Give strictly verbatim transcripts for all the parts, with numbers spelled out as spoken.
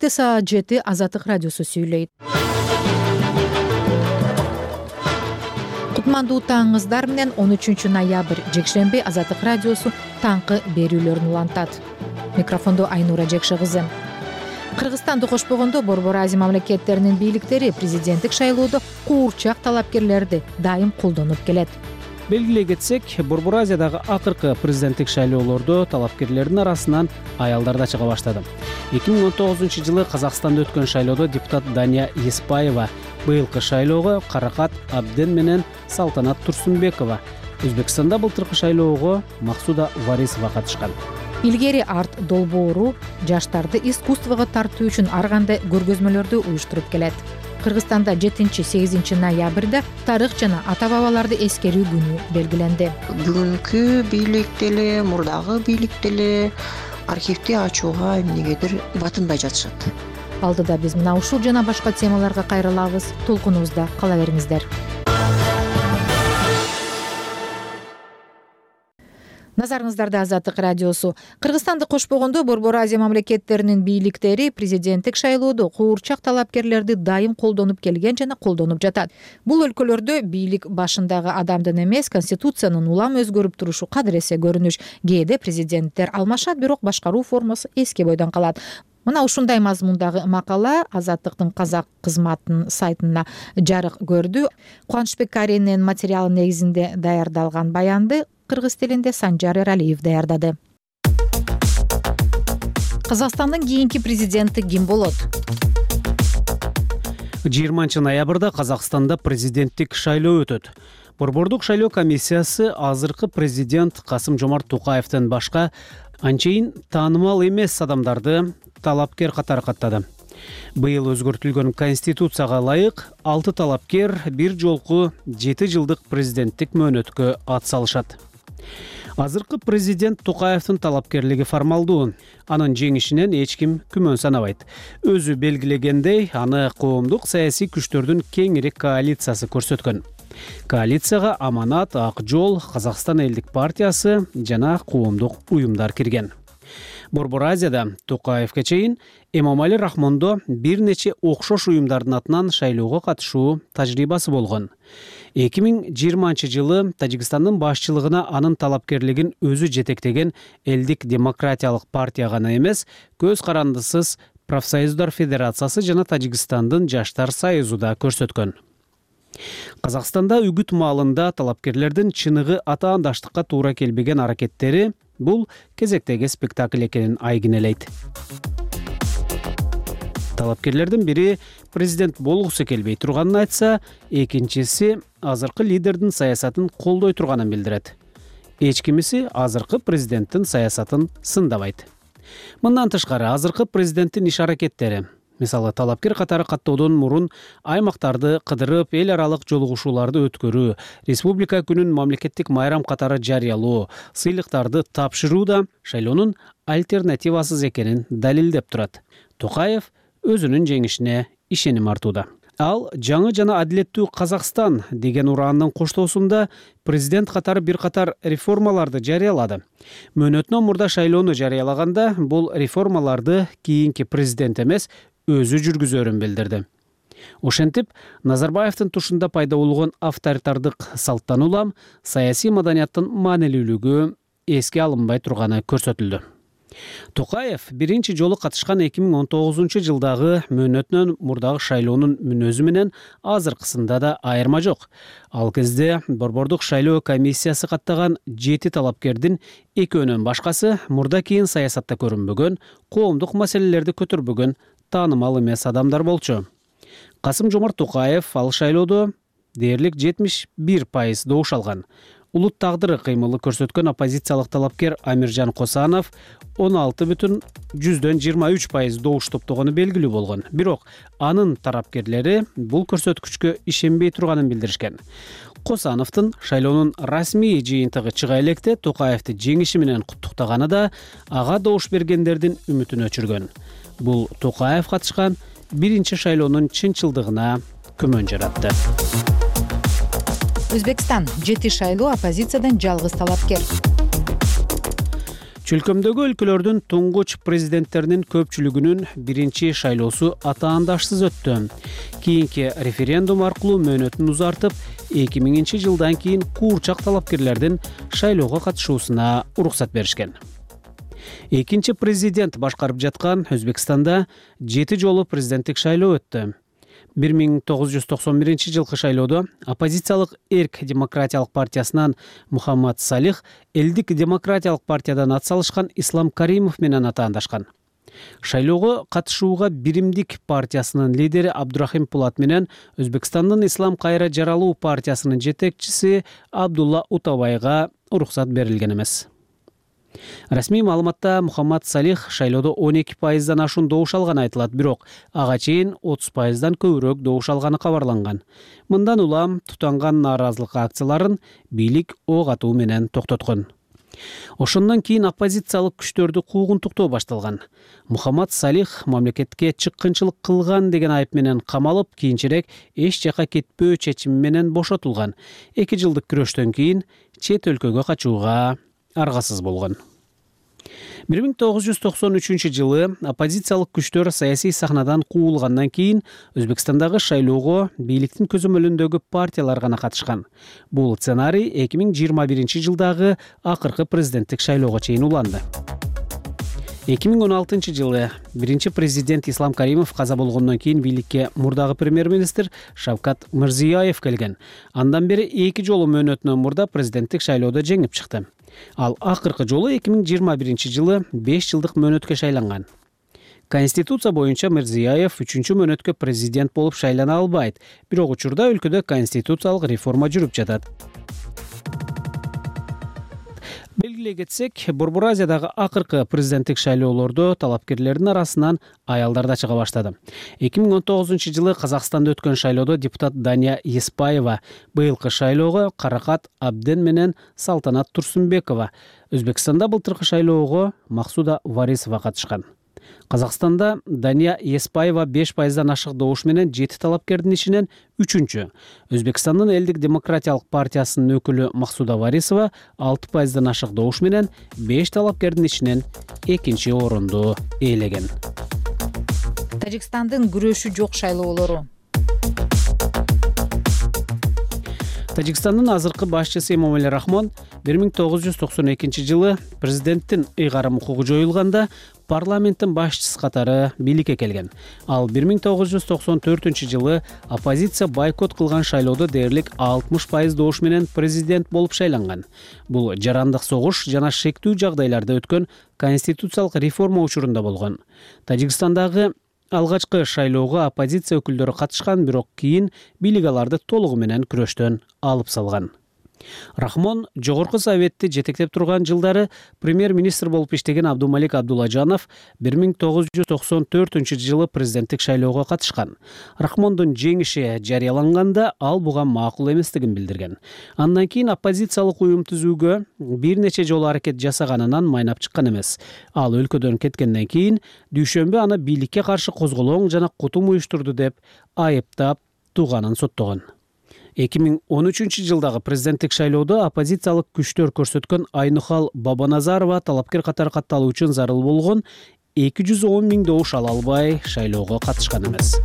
саат жети Азаттык радиосу сүйлөйт. Кутмандуу таңыңыздар менен он үчүнчү ноябрь жекшемби Азаттык радиосу таңкы берүүлөрүн улантат. Микрофондо Айнура Жекше кызы. Кыргызстанды кошпогондо Борбор Азия мамлекеттеринин бийликтери президенттик шайлоодо куурчак талапкерлерди дайым колдонуп келет. Белгилей кетсек, Борбор Азиядагы акыркы президенттик шайлоолордо талапкерлердин арасынан аялдар да чыга баштады. эки миң он тогузунчу жылы Казакстанда өткөн шайлоодо депутат Дания Еспаева, быйылкы шайлоого Каракат Абден менен Салтанат Турсунбекова, Өзбекстанда былтыркы шайлоого Максуда Варисова катышкан. Илгери арт долбоору жаштарды искусствого тартуу үчүн ар кандай көргөзмөлөрдү уюштуруп келет. Кыргызстанда жетинчи-сегизинчи ноябрда тарых жана ата-бабаларды эскерүү күнү белгиленди. Бүгүнкү бийлик деле, мурдагы бийлик деле архивди ачууга эмнегедир батынбай жатышат. Алдыда биз мына ушул жана башка темаларга кайрылабыз. Толкунубузда кала бериңиздер. Назарыңыздарда Азаттык радиосу. Кыргызстанды кошпогондо Борбор Азия мамлекеттеринин бийликтери президенттик шайлоодо куурчак талапкерлерди дайым колдонуп келген жана колдонуп жатат. Бул өлкөлөрдө бийлик башындагы адамдын эмес, конституциянын улам өзгөрүп турушу кадыресе көрүнүш. Кээде президенттер алмашат, бирок башкаруу формасы эски бойдон калат. Мына ушундай мазмундагы макала Азаттыктын казак кызматынын сайтына жарык көрдү. Кубанычбек Каринин материалы негизинде даярдалган баянды кыргыз тилинде Санжар Эралиев даярдады. Казакстандын кийинки президенти ким болот? жыйырманчы ноябрда Казакстанда президенттик шайлоо өтөт. Борбордук шайлоо комиссиясы азыркы президент Касым-Жомарт Токаевден башка анчейин таанымал эмес адамдарды талапкер катары каттады. Быйыл өзгөртүлгөн конституцияга ылайык алты талапкер бир жолку жети жылдык президенттик мөөнөткө ат салышат. Азыркы президент Токаевдин талапкерлиги формалдуу. Анын жеңишинен эч ким күмөн санабайт. Өзү белгилегендей, аны коомдук саясий күчтөрдүн кеңири коалициясы көрсөткөн. Коалицияга Аманат, Ак жол, Казакстан элдик партиясы жана коомдук уюмдар кирген. Борбор Азияда Токаевге чейин Эмомали Рахмондо бир нече окшош уюмдардын атынан шайлоого катышуу тажрыйбасы болгон. эки миң жыйырманчы жылы Тажикстандын башчылыгына анын талапкерлигин өзү жетектеген Элдик демократиялык партия гана эмес, көз карандысыз профсоюздар федерациясы жана Тажикстандын жаштар союзу да көрсөткөн. Казакстанда үгүт маалында талапкерлердин чыныгы атаандаштыкка туура келбеген аракеттери бул кезектеги спектакль экенин айгинелейт. Талапкерлердин бири президент болгусу келбей турганын айтса, экинчиси азыркы лидердин саясатын колдой турганын билдирет. Эч кимиси азыркы президенттин саясатын сындабайт. Мындан тышкары азыркы президенттин иш аракеттери, мисалы талапкер катары каттоодон мурун аймактарды кыдырып, эл аралык жолугушууларды өткөрүү, республика күнүн мамлекеттик майрам катары жарыялоо, сыйлыктарды тапшыруу да шайлоонун альтернативасыз экенин далилдеп турат. Токаев өзүнүн жеңишине ишеним артууда. Ал жаңы жана адилеттүү Казакстан деген ураандын коштоосунда президент катары бир катар реформаларды жарыялады. Мөөнөтүнөн мурда шайлоону жарыялаганда бул реформаларды кийинки президент эмес, өзү жүргүзөрүн билдирди. Ошентип, Назарбаевдин тушунда пайда болгон авторитардык салттан улам саясий маданияттын маанилүүлүгү эске алынбай турганы көрсөтүлдү. Токаев биринчи жолу катышкан эки миң он тогузунчу жылдагы мөөнөтүнөн мурдагы шайлоонун мүнөзү менен азыркысында да айырма жок. Ал кезде Борбордук шайлоо комиссиясы каттаган жети талапкердин экөөнөн башкасы мурда кийин саясатта көрүнбөгөн, коомдук маселелерди көтөрбөгөн таанымал эмес адамдар болчу. Касым-Жомарт Токаев ал шайлоодо дээрлик жетимиш бир пайыз добуш алган. Улут тагдыры кыймылы көрсөткөн оппозициялык талапкер Амиржан Косанов он алты бүтүн жүздөн жыйырма үч пайыз добуш топтогону белгилүү болгон. Бирок анын тарапкерлери бул көрсөткүчкө ишенбей турганын билдиришкен. Косановдун шайлоонун расмий жыйынтыгы чыга электе Токаевди жеңиши менен куттуктаганы да ага добуш бергендердин үмүтүн өчүргөн. Бул Токаев катышкан биринчи шайлоонун чынчылдыгына күмөн жаратты. Өзбекстан жети шайлоо оппозициядан жалгыз талапкер. Чөлкөмдөгү өлкөлөрдүн туңгуч президенттеринин көпчүлүгүнүн биринчи шайлоосу атаандашсыз өттү. Кийинки референдум аркылуу мөөнөтүн узартып, эки миңинчи жылдан кийин куурчак талапкерлердин шайлоого катышуусуна уруксат беришкен. Экинчи президент башкарып жаткан Өзбекстанда жети жолу президенттик шайлоо өттү. бир миң тогуз жүз токсон биринчи жылкы шайлоодо оппозициялык Эрк демократиялык партиясынан Мухаммад Салих Элдик демократиялык партиядан ат салышкан Ислам Каримов менен атаандашкан. Шайлоого катышууга Биримдик партиясынын лидери Абдурахим Пулат менен Өзбекстандын Ислам кайра жаралуу партиясынын жетекчиси Абдулла Утабайга уруксат берилген эмес. Расмий маалыматта Мухаммад Салих шайлоодо он эки пайыздан ашуун добуш алганы айтылат, бирок ага чейин отуз пайыздан көбүрөөк добуш алганы кабарланган. Мындан улам тутанган нааразылык акцияларын бийлик ок атуу менен токтоткон. Ошондон кийин оппозициялык күчтөрдү куугунтуктоо башталган. Мухаммад Салих мамлекетке чыккынчылык кылган деген айып менен камалып, кийинчерээк эч жака кетпөө чечими менен бошотулган. эки жылдык күрөштөн кийин чет өлкөгө качууга аргасыз болгон. бир миң тогуз жүз токсон үчүнчү жылы оппозициялык күчтөр саясий сахнадан куулгандан кийин Өзбекстандагы шайлоого бийликтин көзөмөлүндөгү партиялар гана катышкан. Бул сценарий эки миң жыйырма биринчи жылдагы акыркы президенттик шайлоого чейин уланды. эки миң он алтынчы жылы биринчи президент Ислам Каримов каза болгондон кийин бийликке мурдагы премьер-министр Шавкат Мирзияев келген. Андан бери эки жолу мөөнөтүнөн мурда президенттик шайлоодо жеңип чыкты. Ал акыркы жолу эки миң жыйырма биринчи жылы беш жылдык мөөнөткө шайланган. Конституция боюнча Мирзияев үчүнчү мөөнөткө президент болуп шайлана албайт, бирок учурда өлкөдө конституциялык реформа жүрүп жатат. Белгилей кетсек, Борбор Азиядагы акыркы президенттик шайлоолордо талапкерлердин арасынан аялдар да чыга баштады. эки миң он тогузунчу жылы Казакстанда өткөн шайлоодо депутат Дания Еспаева, быйылкы шайлоого Каракат Абден менен Салтанат Турсунбекова, Өзбекстанда былтыркы шайлоого Максуда Варисова катышкан. Казакстанда Дания Еспаева беш пайыздан ашык добуш менен жети талапкердин ичинен үчүнчү. Өзбекстандын Элдик демократиялык партиясынын өкүлү Максуда Варисова алты пайыздан ашык добуш менен беш талапкердин ичинен экинчи орунду ээлеген. Тажикстандын күрөшү жок шайлоолору. Тажикстандын азыркы башчысы Эмомали Рахмон бир миң тогуз жүз токсон экинчи жылы президенттин ыйгарым укугу жоюлганда парламенттин башчысы катары бийликке келген. Ал бир миң тогуз жүз токсон төртүнчү жылы оппозиция бойкот кылган шайлоодо дээрлик алтымыш пайыз добуш менен президент болуп шайланган. Бул жарандык согуш жана шектүү жагдайларда өткөн конституциялык реформа учурунда болгон. Тажикстандагы алгачкы шайлоого оппозиция өкүлдөрү катышкан, бирок кийин бийлик аларды толугу менен күрөштөн алып салган. Рахмон жогорку советти жетектеп турган жылдары премьер-министр болуп иштеген Абдумалик Абдулажанов бир миң тогуз жүз токсон төртүнчү жылы президенттик шайлоого катышкан. Рахмондун жеңиши жарыяланганда ал буга макул эместигин билдирген. Андан кийин оппозициялык уюм түзүүгө бир нече жолу аракет жасаганынан майнап чыккан эмес. Ал өлкөдөн кеткенден кийин дүйшөмбү аны бийликке каршы козголоң жана кутум уюштурду деп айыптап тууганын соттогон. эки миң он үчүнчү жылдагы президенттик шайлоодо оппозициялык күчтөр көрсөткөн Айнухал Бабаназарова талапкер катары катталуу үчүн зарыл болгон эки жүз он миң добуш ала албай шайлоого катышкан эмес.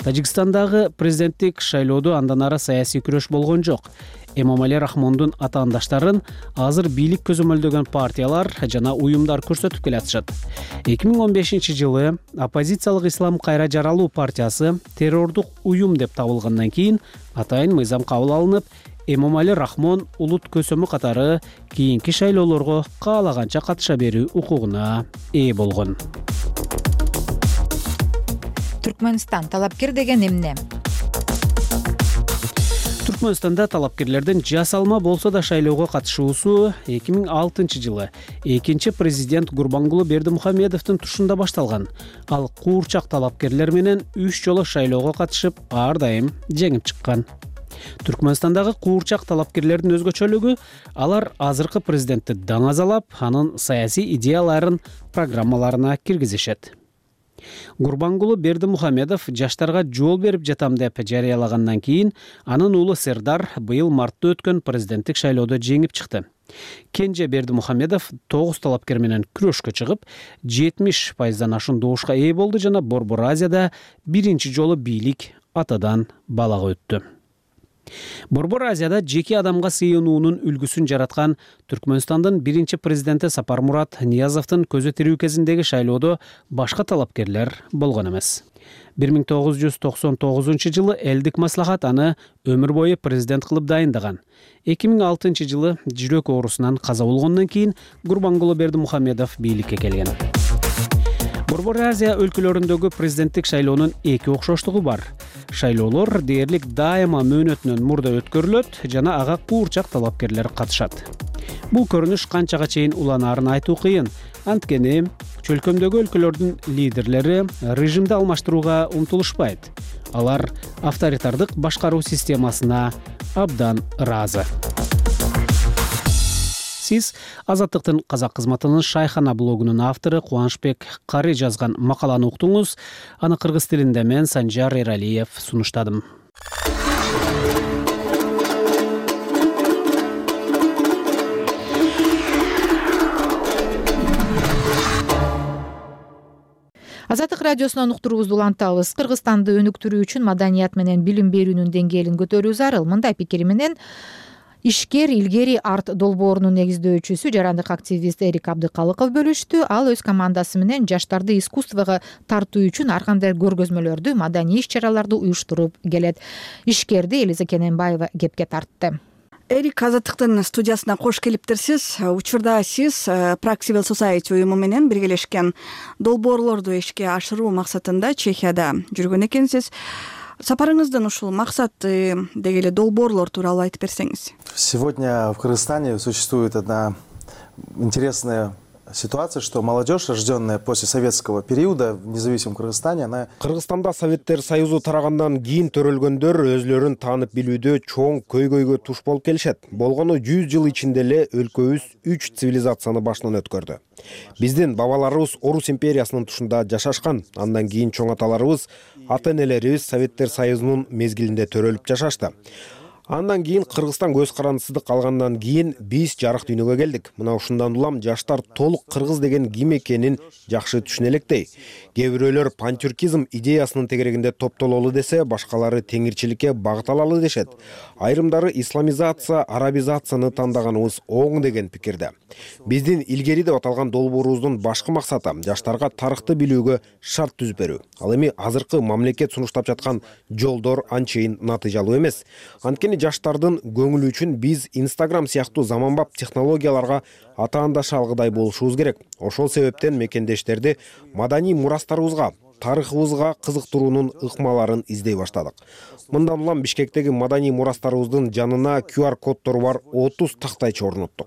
Тажикстандагы президенттик шайлоодо андан ары саясий күрөш болгон жок. Эмомали Рахмондун атаандаштарын азыр бийлик көзөмөлдөгөн партиялар жана уюмдар көрсөтүп келатышат. эки миң он бешинчи жылы оппозициялык Ислам кайра жаралуу партиясы террордук уюм деп табылгандан кийин атайын мыйзам кабыл алынып, Эмомали Рахмон улут көсөмү катары кийинки шайлоолорго каалаганча катыша берүү укугуна ээ болгон. Түркмөнстан талапкер деген эмне? Түркмөнстанда талапкерлердин жасалма болсо да шайлоого катышуусу эки миң алтынчы жылы экинчи президент Гурбангулы Бердимухамедовдун тушунда башталган. Ал куурчак талапкерлер менен үч жолу шайлоого катышып, ар дайым жеңип чыккан. Түркмөнстандагы куурчак талапкерлердин өзгөчөлүгү алар азыркы президентти даңазалап, анын саясий идеяларын программаларына киргизишет. Гурбангулу Бердимухамедов жаштарга жол берип жатам деп жарыялагандан кийин анын уулу Сердар быйыл мартта өткөн президенттик шайлоодо жеңип чыкты. Кенже Бердимухамедов тогуз талапкер менен күрөшкө чыгып, жетимиш пайыздан ашуун добушка ээ болду жана Борбор Азияда биринчи жолу бийлик атадан балага өттү. Борбор Азияда жеке адамга сыйынуунун үлгүсүн жараткан Түркмөнстандын биринчи президенти Сапармурат Ниязовдун көзү тирүү кезиндеги шайлоодо башка талапкерлер болгон эмес. бир миң тогуз жүз токсон тогузунчу жылы элдик маслахат аны өмүр бою президент кылып дайындаган. эки миң алтынчы жылы жүрөк оорусунан каза болгондон кийин Гурбангулу Бердимухамедов бийликке келген. Борбор Азия өлкөлөрүндөгү президенттик шайлоонун эки окшоштугу бар. Шайлоолор дээрлик дайыма мөөнөтүнөн мурда өткөрүлөт жана ага куурчак талапкерлер катышат. Бул көрүнүш канчага чейин уланаарын айтуу кыйын. Анткени чөлкөмдөгү өлкөлөрдүн лидерлери режимди алмаштырууга умтулушпайт. Алар авторитардык башкаруу системасына абдан ыраазы. Сиз Азаттыктын казак кызматынын Шайхана блогунун автору Кубанычбек Кары жазган макаланы уктуңуз. Аны кыргыз тилинде мен Санжар Эралиев сунуштадым. Азаттык радиосунан уктуруубузду улантабыз. Кыргызстанды өнүктүрүү үчүн маданият менен билим берүүнүн деңгээлин көтөрүү зарыл. Мындай пикири менен Ишкер илгери арт долбоорунун негиздөөчүсү жарандык активист Эрик Абдыкалыков бөлүштү. Ал өз командасы менен жаштарды искусствого тартуу үчүн ар кандай көргөзмөлөрдү, маданий иш-чараларды уюштуруп келет. Ишкерди Элиза Кененбаева кепке тартты. Эрик, Азаттыктын студиясына кош келиптирсиз. Учурда сиз Prague Civil Society уюму менен биргелешкен долбоорлорду ишке ашыруу максатында Чехияда жүргөн экенсиз. Сапарыңыздын ушул максаты деги эле долбоорлор тууралуу айтып берсеңиз. Сегодня в Кыргызстане существует одна интересная ситуация, что молодежь, рожденная после советского периода в независимом Кыргызстане, она... Кыргызстанда Советтер Союзу тарагандан кийин төрөлгөндөр өзлөрүн таанып билүүдө чоң көйгөйгө туш болуп келишет. Болгону жүз жыл ичинде эле өлкөбүз үч цивилизацияны башынан өткөрдү. Биздин бабаларыбыз Орус империясынын тушунда жашашкан. Андан кийин чоң аталарыбыз, ата-энелерибиз Советтер Союзунун мезгилинде төрөлүп жашашты. Андан кийин Кыргызстан көз карандысыздык алгандан кийин биз жарык дүйнөгө келдик. Мына ушундан улам жаштар толук кыргыз деген ким экенин жакшы түшүнө электей. Кээ бирөөлөр пантюркизм идеясынын тегерегинде топтололу десе, башкалары теңирчиликке багыт алалы дешет. Айрымдары исламизация, арабизацияны тандаганыбыз оң деген пикирде. Биздин илгери деп аталган долбоорубуздун башкы максаты жаштарга тарыхты билүүгө шарт түзүп берүү. Ал эми азыркы мамлекет сунуштап жаткан жолдор анчейин натыйжалуу эмес. Анткени жаштардын көңүлү үчүн биз Instagram сыяктуу заманбап технологияларга атаандаша алгыдай болушубуз керек. Ошол себептен мекендештерди маданий мурастарыбызга, тарыхыбызга кызыктыруунун ыкмаларын издей баштадык. Мындан улам Бишкектеги маданий мурастарыбыздын жанына ку ар коддору бар отуз тактайчы орноттук.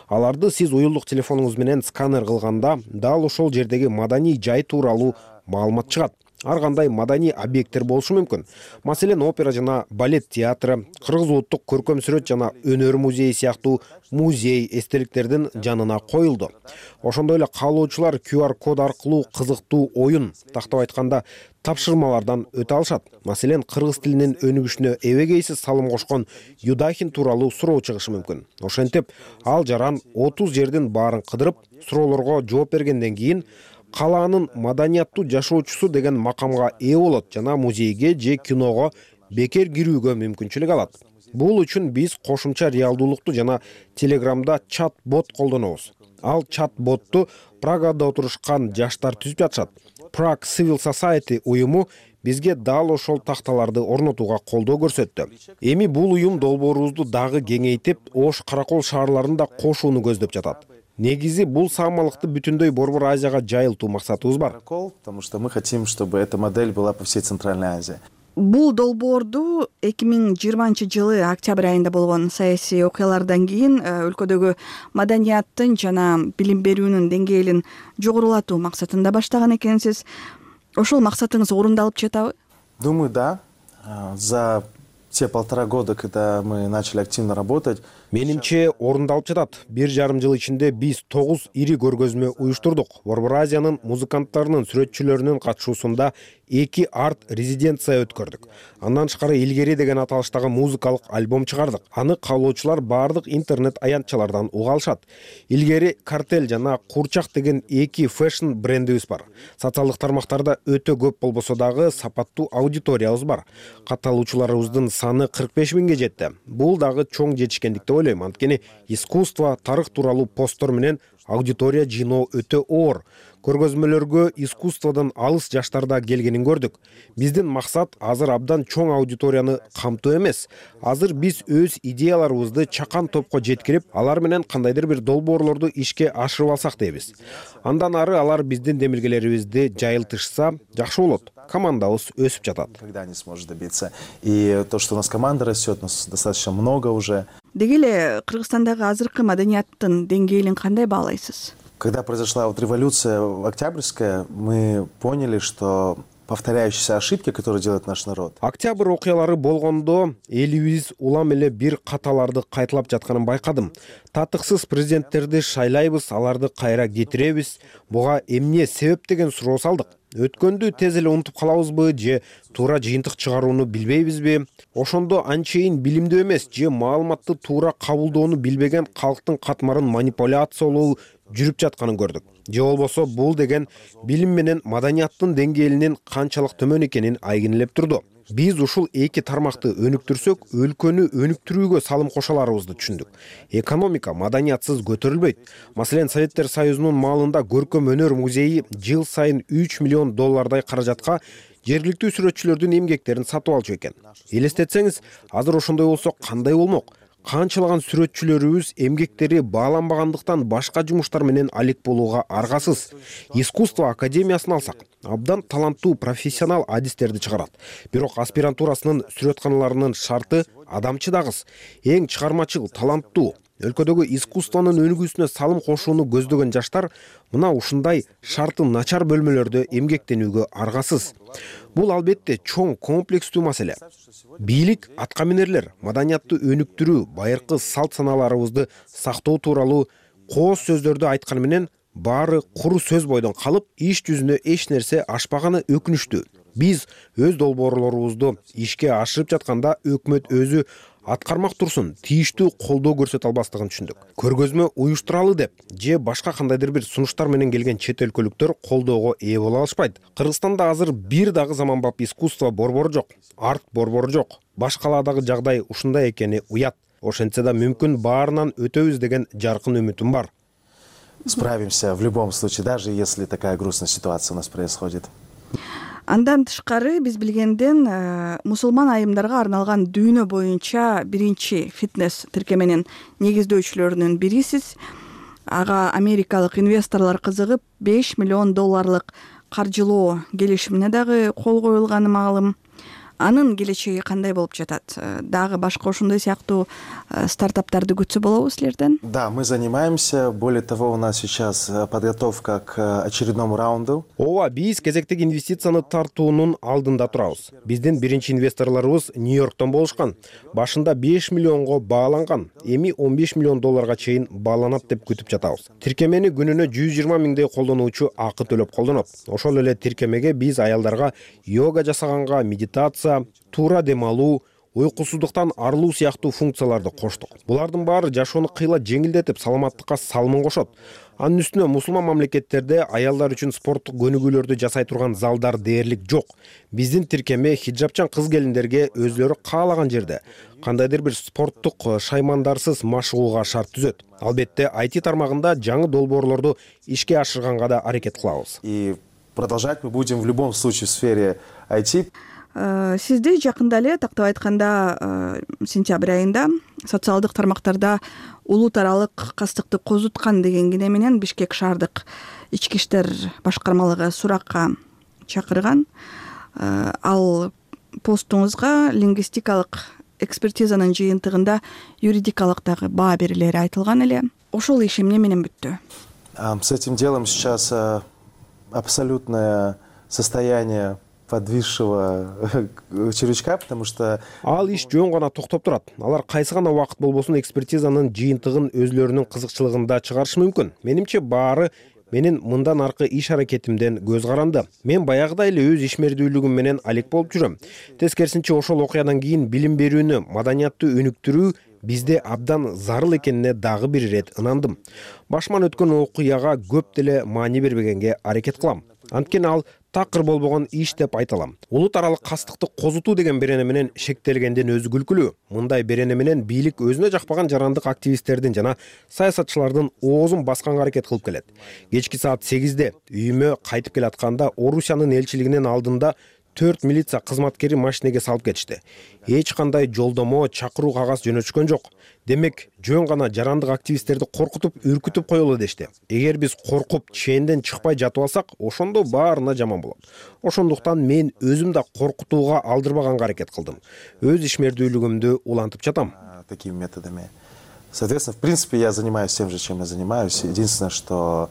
Аларды сиз уюлдук телефонуңуз менен сканер кылганда дал ошол жердеги маданий жай тууралуу маалымат чыгат. Ар кандай маданий объекттер болушу мүмкүн. Маселен, опера жана балет театры, Кыргыз улуттук көркөм сүрөт жана өнөр музейи сыяктуу музей эстеликтердин жанына коюлду. Ошондой эле каалоочулар ку ар код аркылуу кызыктуу оюн, тактап айтканда тапшырмалардан өтө алышат. Маселен, кыргыз тилинин өнүгүшүнө эбегейсиз салым кошкон Юдахин тууралуу суроо чыгышы мүмкүн. Ошентип, ал жаран отуз жердин баарын кыдырып, суроолорго жооп бергенден кийин калаанын маданияттуу жашоочусу деген макамга ээ болот жана музейге же киного бекер кирүүгө мүмкүнчүлүк алат. Бул үчүн биз кошумча реалдуулукту жана Телеграмда чат-бот колдонобуз. Ал чат-ботту Прагада отурушкан жаштар түзүп жатышат. Prague Civil Society уюму бизге дал ошол такталарды орнотууга колдоо көрсөттү. Эми бул уюм долбоорубузду дагы кеңейтип, Ош, Каракол шаарларын да кошууну көздөп жатат. Негизи бул саамалыкты бүтүндөй Борбор Азияга жайылтуу максатыбыз бар. Потому что мы хотим, чтобы эта модель была по всей Центральной Азии. Бул долбоорду эки миң жыйырманчы жылы октябрь айында болгон саясий окуялардан кийин өлкөдөгү маданияттын жана билим берүүнүн деңгээлин жогорулатуу максатында баштаган экенсиз. Ошол максатыңыз орундалып жатабы? Думаю, да. За те полтора года, когда мы начали активно работать, Менимче орундалып жатат. Бир жарым жыл ичинде биз тогуз ири көргөзмө уюштурдук. Борбор Азиянын музыканттарынын, сүрөтчүлөрүнүн катышуусунда эки арт резиденция өткөрдүк. Андан тышкары Илгери деген аталыштагы музыкалык альбом чыгардык. Аны каалоочулар бардык интернет аянтчалардан уга алышат. Илгери Картель жана Курчак деген эки фэшн брендибиз бар. Социалдык тармактарда өтө көп болбосо дагы сапаттуу аудиториябыз бар. Катталуучуларыбыздын саны кырк беш миңге жетти. Бул дагы чоң жетишкендик деп ойлойм. Анткени искусство, тарых тууралуу посттор менен аудитория жыйноо өтө оор. Көргөзмөлөргө искусстводон алыс жаштарда келгенин көрдүк. Биздин максат азыр абдан чоң аудиторияны камтоо эмес. Азыр биз өз идеяларыбызды чакан топко жеткирип, алар менен кандайдыр бир долбоорлорду ишке ашырып алсак дейбиз. Андан ары алар биздин демилгелерибизди жайылтышса жакшы болот. Командабыз өсүп жатат. Когда не сможет добиться. И то, что у нас команда растет, у нас достаточно много уже. Деги эле Кыргызстандагы азыркы маданияттын деңгээлин кандай баалайсыз? Когда произошла вот революция Октябрьская, мы поняли, что повторяющиеся ошибки, которые делает наш народ. Октябрь окуялары болгондо элибиз улам эле бир каталарды кайталап жатканын байкадым. Татыксыз президенттерди шайлайбыз, аларды кайра кетиребиз. Буга эмне себеп деген суроо салдык. Өткөндү тез эле унутуп калабызбы же туура жыйынтык чыгарууну билбейбизби? Ошондо анчейин билимдүү эмес же маалыматты туура кабылдоону билбеген калктын катмарын манипуляциялоо жүрүп жатканын көрдүк. Же болбосо бул деген билим менен маданияттын деңгээлинин канчалык төмөн экенин айгинелеп турду. Биз ушул эки тармакты өнүктүрсөк, өлкөнү өнүктүрүүгө салым кошо аларыбызды түшүндүк. Экономика маданиятсыз көтөрүлбөйт. Маселен, Советтер Союзунун маалында көркөм өнөр музейи жыл сайын үч миллион доллардай каражатка жергиликтүү сүрөтчүлөрдүн эмгектерин сатып алчу экен. Элестетсеңиз, азыр ошондой болсо кандай болмок? Канчалаган сүрөтчүлөрүбүз эмгектери бааланбагандыктан башка жумуштар менен алек болууга аргасыз. Искусство академиясын алсак, абдан таланттуу профессионал адистерди чыгарат. Бирок аспирантурасынын сүрөтканаларынын шарты адамчыдагыс, эң чыгармачыл, таланттуу. Өлкөдөгү искусствонун өнүгүүсүнө салым кошууну көздөгөн жаштар мына ушундай шарты начар бөлмөлөрдө эмгектенүүгө аргасыз. Бул албетте чоң комплекстүү маселе. Бийлик, аткаминерлер маданиятты өнүктүрүү, байыркы салт саналарыбызды сактоо тууралуу кооз сөздөрдү айтканы менен баары куру сөз бойдон калып, иш жүзүнө эч нерсе ашпаганы өкүнүчтүү. Биз өз долбоорлорубузду ишке ашырып жатканда өкмөт өзү аткармак турсун тийиштүү колдоо көрсөтө албастыгын түшүндүк. Көргөзмө уюштуралы деп же башка кандайдыр бир сунуштар менен келген чет өлкөлүктөр колдоого ээ боло алышпайт. Кыргызстанда азыр бир дагы заманбап искусство борбору жок, арт борбору жок. Башкалардагы жагдай ушундай экени уят. Ошентсе да мүмкүн баарынан өтөбүз деген жаркын үмүтүм бар. Справимся в любом случае, даже если такая грустная ситуация у нас происходит. Андан тышкары биз билгенден мусулман айымдарга арналган дүйнө боюнча биринчи фитнес тиркеменин негиздөөчүлөрүнүн бирисиз. Ага америкалык инвесторлор кызыгып беш миллион долларлык каржылоо келишимине дагы кол коюлганы маалым. Анын келечеги кандай болуп жатат? Дагы башка ошондой сыяктуу стартаптарды күтсө болобу силерден? Да, мы занимаемся. Более того, у нас сейчас подготовка к очередному раунду. Ооба, биз кезектеги инвестицияны тартуунун алдында турабыз. Биздин биринчи инвесторлорубуз Нью-Йорктон болушкан. Башында беш миллионго бааланган, эми он беш миллион долларга чейин бааланат деп күтүп жатабыз. Тиркемени күнүнө жүз жыйырма миңдей колдонуучу акы төлөп колдонот. Ошол эле тиркемеге биз аялдарга йога жасаганга, медитация, туура дем алуу, уйкусуздуктан арылуу сыяктуу функцияларды коштук. Булардын баары жашоону кыйла жеңилдетип, саламаттыкка салымын кошот. Анын үстүнө мусулман мамлекеттерде аялдар үчүн спорттук көнүгүүлөрдү жасай турган залдар дээрлик жок. Биздин тиркеме хиджабчан кыз-келиндерге өзлөрү каалаган жерде кандайдыр бир спорттук шаймандарсыз машыгууга шарт түзөт. Албетте ай ти тармагында жаңы долбоорлорду ишке ашырганга да аракет кылабыз. И продолжать мы будем в любом случае в сфере ай ти. Сизди жакында эле, тактап айтканда, сентябрь айында социалдык тармактарда улут аралык кастыкты козуткан деген кине менен Бишкек шаардык ички иштер башкармалыгы суракка чакырган. Ал постуңузга лингвистикалык экспертизанын жыйынтыгында юридикалык дагы баа берилери айтылган эле. Ошол иш эмне менен бүттү? С этим делом сейчас абсолютное состояние подвисшего червячка, потому что ал иш жөн гана токтоп турат. Алар кайсы гана убакыт болбосун экспертизанын жыйынтыгын өзлөрүнүн кызыкчылыгында чыгарышы мүмкүн. Менимче баары менин мындан аркы иш аракетимден көз каранды. Мен баягыдай эле өз ишмердүүлүгүм менен алек болуп жүрөм. Тескерисинче ошол окуядан кийин билим берүүнү, маданиятты өнүктүрүү бизде абдан зарыл экенине дагы бир ирет ынандым. Башыман өткөн окуяга көп деле маани бербегенге аракет кылам. Анткени ал такыр болбогон иш деп айта алам. Улут аралык кастыкты козутуу деген берене менен шектелгенден өзү күлкүлүү. Мындай берене менен бийлик өзүнө жакпаган жарандык активисттердин жана саясатчылардын оозун басканга аракет кылып келет. Кечки саат сегизде үйүмө кайтып келатканда Орусиянын элчилигинин алдында төрт милиция кызматкери машинеге салып кетишти. Эч кандай жолдомо, чакыруу кагаз жөнөтүшкөн жок. Демек, жөн гана жарандык активисттерди коркутуп, үркүтүп коелу дешти. Эгер биз коркуп, ченден чыкпай жатып алсак, ошондо баарына жаман болот. Ошондуктан мен өзүм да коркутууга алдырбаганга аракет кылдым. Өз ишмердүүлүгүмдү улантып жатам. Такими методами. Соответственно, в принципе, я занимаюсь тем же, чем я занимаюсь. Единственное, что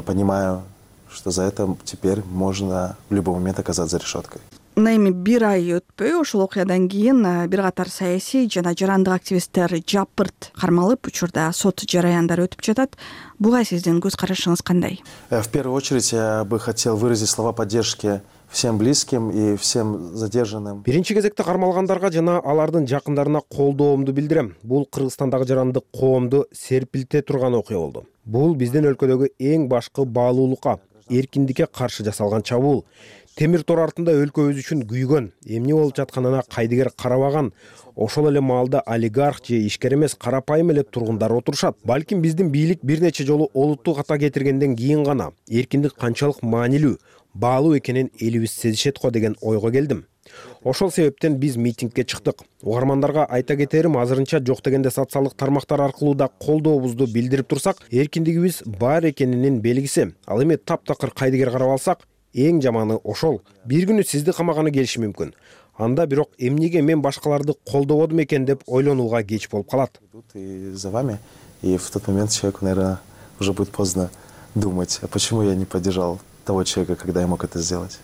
понимаю, что за это теперь можно в любой момент оказаться за решеткой. Мына эми бир ай өтпөй ошол окуядан кийин бир катар саясий жана жарандык активисттер жапырт кармалып, учурда сот жараяндары өтүп жатат. Буга сиздин көз карашыңыз кандай? В первую очередь я бы хотел выразить слова поддержки всем близким и всем задержанным. Биринчи кезекте кармалгандарга жана алардын жакындарына колдоомду билдирем. Бул Кыргызстандагы жарандык коомду серпилте турган окуя болду. Бул биздин өлкөдөгү эң башкы баалуулукка, эркиндикке каршы жасалган чабуул. Темир тор артында өлкөбүз үчүн күйгөн, эмне болуп жатканына кайдыгер карабаган, ошол эле маалда олигарх же ишкер эмес карапайым эле тургундар отурушат. Балким биздин бийлик бир нече жолу олуттуу ката кетиргенден кийин гана эркиндик канчалык маанилүү, баалуу экенин элибиз сезишет го деген ойго келдим. Ошол себептен биз митингге чыктык. Угармандарга айта кетерим, азырынча жок дегенде социалдык тармактар аркылуу да колдообузду билдирип турсак, эркиндигибиз бар экенинин белгиси. Ал эми таптакыр кайдыгер карап алсак, эң жаманы ошол. Бир күнү сизди камаганы келиши мүмкүн. Анда бирок эмнеге мен башкаларды колдободум экен деп ойлонууга кеч болуп калат. И за вами, и в тот момент человеку, наверное, уже будет поздно думать, а почему я не поддержал того человека, когда я мог это сделать.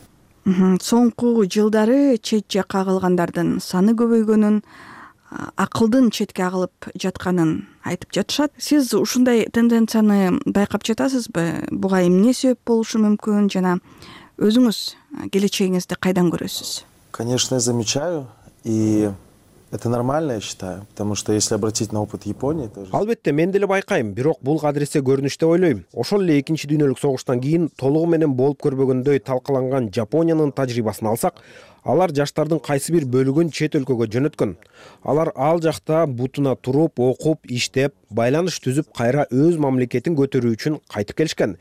Соңку жылдары чет жакка кагылгандардын саны көбөйгөнүн, акылдын четке агылып жатканын айтып жатышат. Сиз ушундай тенденцияны байкап жатасызбы? Буга эмне себеп болушу мүмкүн жана өзүңүз келечегиңизди кайдан көрөсүз? Конечно, я замечаю, и это нормально, я считаю, потому что если обратить на опыт Японии, то... Албетте, мен деле байкайм, бирок бул кадыресе көрүнүш деп ойлойм. Ошол эле экинчи дүйнөлүк согуштан кийин толугу менен болуп көрбөгөндөй талкаланган Жапониянын тажрыйбасын алсак, алар жаштардын кайсы бир бөлүгүн чет өлкөгө жөнөткөн. Алар ал жакта бутуна туруп, окуп, иштеп, байланыш түзүп, кайра өз мамлекетин көтөрүү үчүн кайтып келишкен.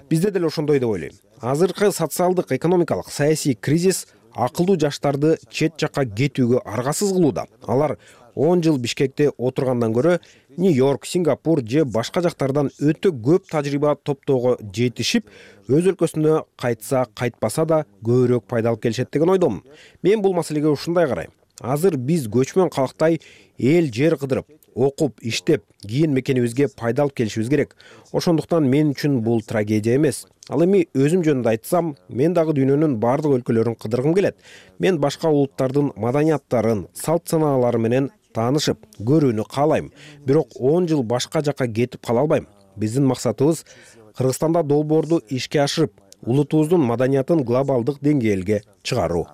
Бизде деле ошондой деп ойлойм. Азыркы социалдык, экономикалык, саясий кризис акылдуу жаштарды чет жакка кетүүгө аргасыз кылууда. Алар он жыл Бишкекте отургандан көрө Нью-Йорк, Сингапур же башка жактардан өтө көп тажрыйба топтоого жетишип, өз өлкөсүнө кайтса, кайтпаса да көбүрөөк пайда алып келишет деген ойдомун. Мен бул маселеге ушундай карайм. Азыр биз көчмөн калктай эл жер кыдырып, окуп, иштеп, кийин мекенибизге пайда алып келишибиз керек. Ошондуктан мен үчүн бул трагедия эмес. Ал эми өзүм жөнүндө айтсам, мен дагы дүйнөнүн бардык өлкөлөрүн кыдыргым келет. Мен башка улуттардын маданияттарын, салт санаалары менен таанышып, көрүүнү каалайм. Бирок он жыл башка жакка кетип кала албайм. Биздин максатыбыз Кыргызстанда долбоорду ишке ашырып, улутубуздун маданиятын глобалдык деңгээлге чыгаруу.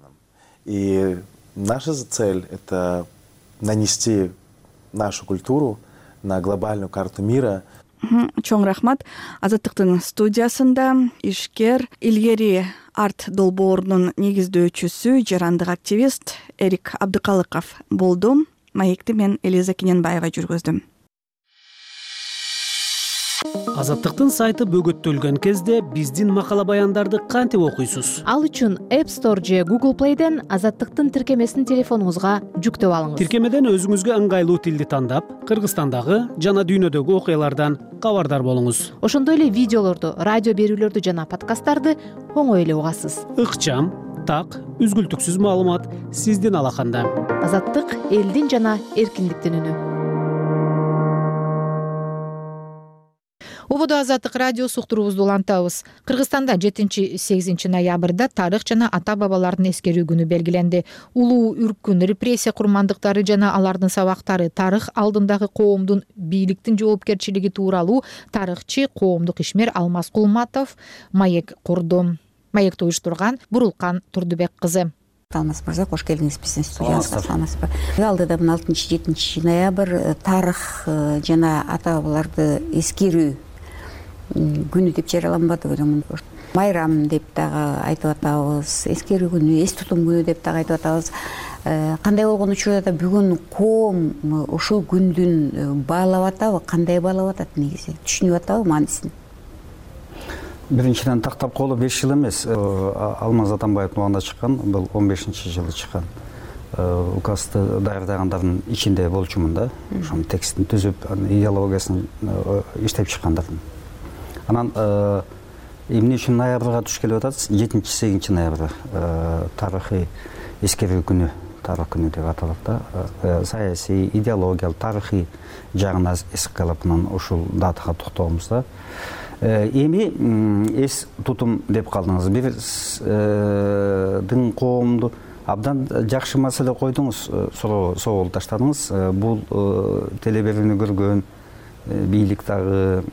И наша цель — это нанести нашу культуру на глобальную карту мира. Чоң рахмат. Азаттыктын студиясында ишкер, илгери арт долбоорунун негиздөөчүсү, жарандык активист Эрик Абдыкалыков болду. Маекти мен Элиза Кененбаева жүргүздүм. Азаттыктын сайты бөгөттөлгөн кезде биздин макала баяндарды кантип окуйсуз? Ал үчүн App Store же Google Play'ден Азаттыктын тиркемесин телефонуңузга жүктөп алыңыз. Тиркемеден өзүңүзгө ыңгайлуу тилди тандап, Кыргызстандагы жана дүйнөдөгү окуялардан кабардар болуңуз. Ошондой эле видеолорду, радио берүүлөрдү жана подкасттарды оңой эле угасыз. Ыкчам, так, үзгүлтүксүз маалымат сиздин алаканда. Азаттык элдин жана эркиндиктин үнү. жогоруда Азаттык радиосу уктуруубузду улантабыз. Кыргызстанда жетинчи сегизинчи ноябрда тарых жана ата бабалардын эскерүү күнү белгиленди. Улуу үркүн, репрессия курмандыктары жана алардын сабактары, тарых алдындагы коомдун бийликтин жоопкерчилиги тууралуу тарыхчы, коомдук ишмер Алмаз Кулматов маек курду. Маекти уюштурган Бурулкан Турдубек кызы. Алмаз мырза, кош келдиңиз биздин студиябызга. Саламатсызбы? Алдыда алтынчы жетинчи ноябрь тарых жана ата бабаларды эскерүү күнү деп жарыяланбады белем. Майрам деп дагы айтып атабыз, эскерүү күнү, эс тутум күнү деп дагы айтып атабыз. Кандай болгон учурда да бүгүн коом ушул күндүн баалап атабы, кандай баалап атат негизи? Түшүнүп атабы маанисин? Биринчиден тактап колу беш жыл эмес. Алмаз Атамбаевдин убагында чыккан, бул он бешинчи жылы чыккан указды даярдагандардын ичинде болчумун да. Ошонун текстин түзүп, идеологиясын иштеп чыккандардын. Анан эмне үчүн ноябрга туш келип атат? жетинчи сегизинчи ноябрь тарыхый эскерүү күнү, тарых күнү деп аталат да. Саясий, идеологиялык, тарыхый жагына эске алып анан ушул датага токтолобуз да. Эми эс тутум деп калдыңыз. Биздин коомду абдан жакшы маселе койдуңуз, соол таштадыңыз. Бул телеберүүнү көргөн бийлик дагы,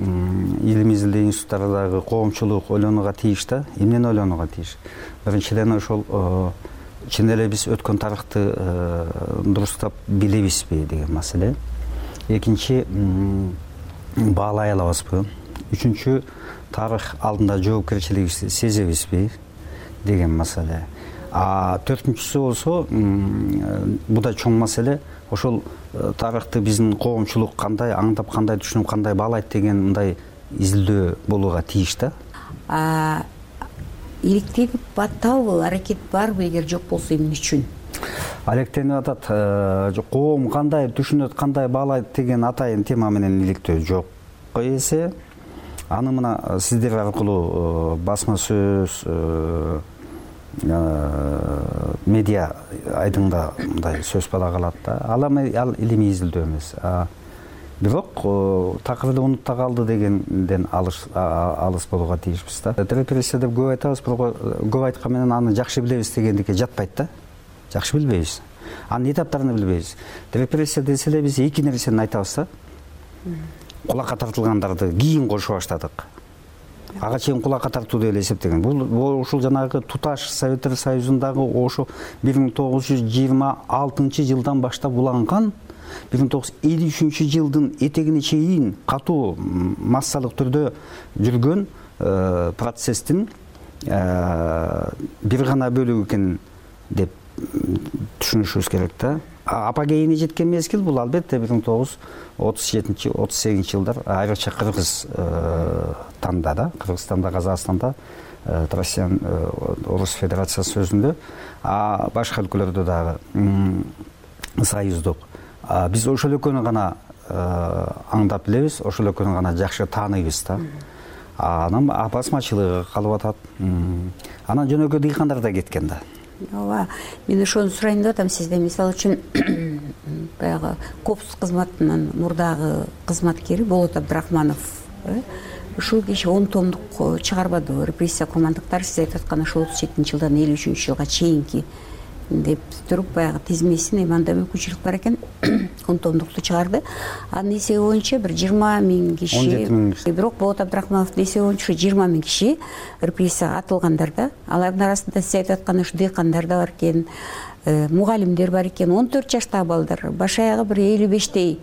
илим изилдөө институттары дагы коомчулук ойлонууга тийиш да. Эмнени ойлонууга тийиш? Биринчиден ошол чын эле биз өткөн тарыхты дурустап билебизби деген маселе. Экинчи, баалай алабызбы? Үчүнчү, тарых алдында жоопкерчилигибизди сезебизби деген маселе. А төртүнчүсү болсо, бул да чоң маселе. Ошол тарыхты биздин коомчулук кандай аңдап, кандай түшүнүп, кандай баалайт деген мындай изилдөө болууга тийиш да. А иликтенип атабы, аракет барбы, эгер жок болсо эмне үчүн? Алектенип атат. Коом кандай түшүнөт, кандай баалайт деген атайын тема менен иликтөө жок эсе. Аны мына сиздер аркылуу басма сөз, медиа айдыңда мындай сөз бала калат да. Ал илимий изилдөө эмес. Бирок такырды унутта калды дегенден алыс болууга тийишпиз да. Репрессия деп көп айтабыз, бирок көп айткан менен аны жакшы билебиз дегендикке жатпайт да. Жакшы билбейбиз. Анын этаптарын билбейбиз. Репрессия десе эле биз эки нерсени айтабыз да. Кулакка тартылгандарды кийин кошуп баштадык. Ага чейин кулакка тартуу деп эле эсептеген. Бул ушул жанагы туташ Советтер Союзундагы ошо бир миң тогуз жүз жыйырма алтынчы жылдан баштап уланган, бир миң тогуз жүз элүү үчүнчү жылдын этегине чейин катуу массалык түрдө жүргөн процесстин бир гана бөлүгү экен деп түшүнүшүбүз керек да. Апогейине жеткен мезгил бул албетте бир миң тогуз жүз отуз жетинчи отуз сегизинчи жылдар, айрыкча Кыргыз танда да, Кыргызстанда, Казакстанда, Россиянын Орус Федерациясы сөзүндө, а башка өлкөлөрдө дагы союздук. Биз ошол экөөнү гана аңдап билебиз, ошол экөөнү гана жакшы тааныйбыз да. Анан басмачылыгы калып атат. Анан жөнөкөй дыйкандар да кеткен да. Ооба, мен ошону сурайын деп атам сизден. Мисалы үчүн баягы Копс кызматынын мурдагы кызматкери Болот Абдрахманов ушул киши он томдук чыгарбады. Репрессия курмандыктары, сиз айтып аткан ошол отуз жетинчи жылдан элүү үчүнчү жылга чейинки деп туруп баягы тизмесин эми анда мүмкүнчүлүк бар экен, он томдукту чыгарды. Анын эсеби боюнча бир жыйырма миң киши, бирок Болот Абдрахмановдун эсеби боюнча жыйырма миң киши репрессияга атылгандар да. Алардын арасында сиз айтып аткан ушу дыйкандар да бар экен, мугалимдер бар экен, он төрт жаштагы балдар, баш аягы бир элүү бештей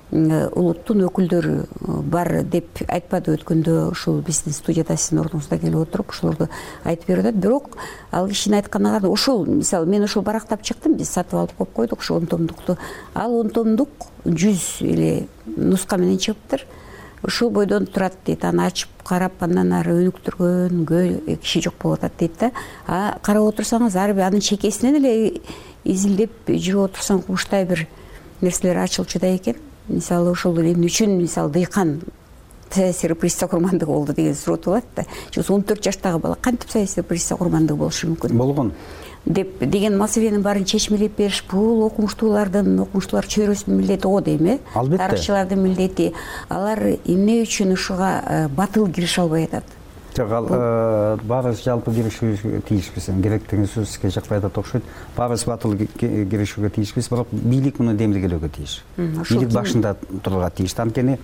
улуттун өкүлдөрү бар деп айтпады өткөндө ушул биздин студияда сиздин ордуңузда келип отуруп ушулорду айтып берип атат. Бирок ал кишинин айтканына караганда ушул, мисалы мен ушул барактап чыктым, биз сатып алып коюп койдук ушул он томдукту. Ал он томдук жүз эле нуска менен чыгыптыр. Ушул бойдон турат дейт. Аны ачып карап, андан ары өнүктүргөн киши жок болуп атат дейт да. А карап отурсаңыз, ар бир анын чекесинен эле изилдеп жүрүп отурсаң кубуштай бир нерселер ачылчу да экен. Мисалы ушул эмне үчүн мисалы дыйкан саясий репрессия курмандыгы болду деген суроо болот да. он төрт жаштагы бала кантип саясий репрессия курмандыгы болушу мүмкүн болгон деп деген маселенин баарын чечмелеп бериш бул окумуштуулардын окумуштуулар чөйрөсүнүн милдети го дейм э албетте тарыхчылардын милдети. Алар эмне үчүн ушуга батыл кирише албай атат? жок ал баарыбыз жалпы киришүүгө тийишпиз. Керек деген сөз сизге жакпай атат окшойт. Баарыбыз батыл киришүүгө тийишпиз, бирок бийлик муну демилгелөөгө тийиш. Бийлик башында турууга тийиш. Анткени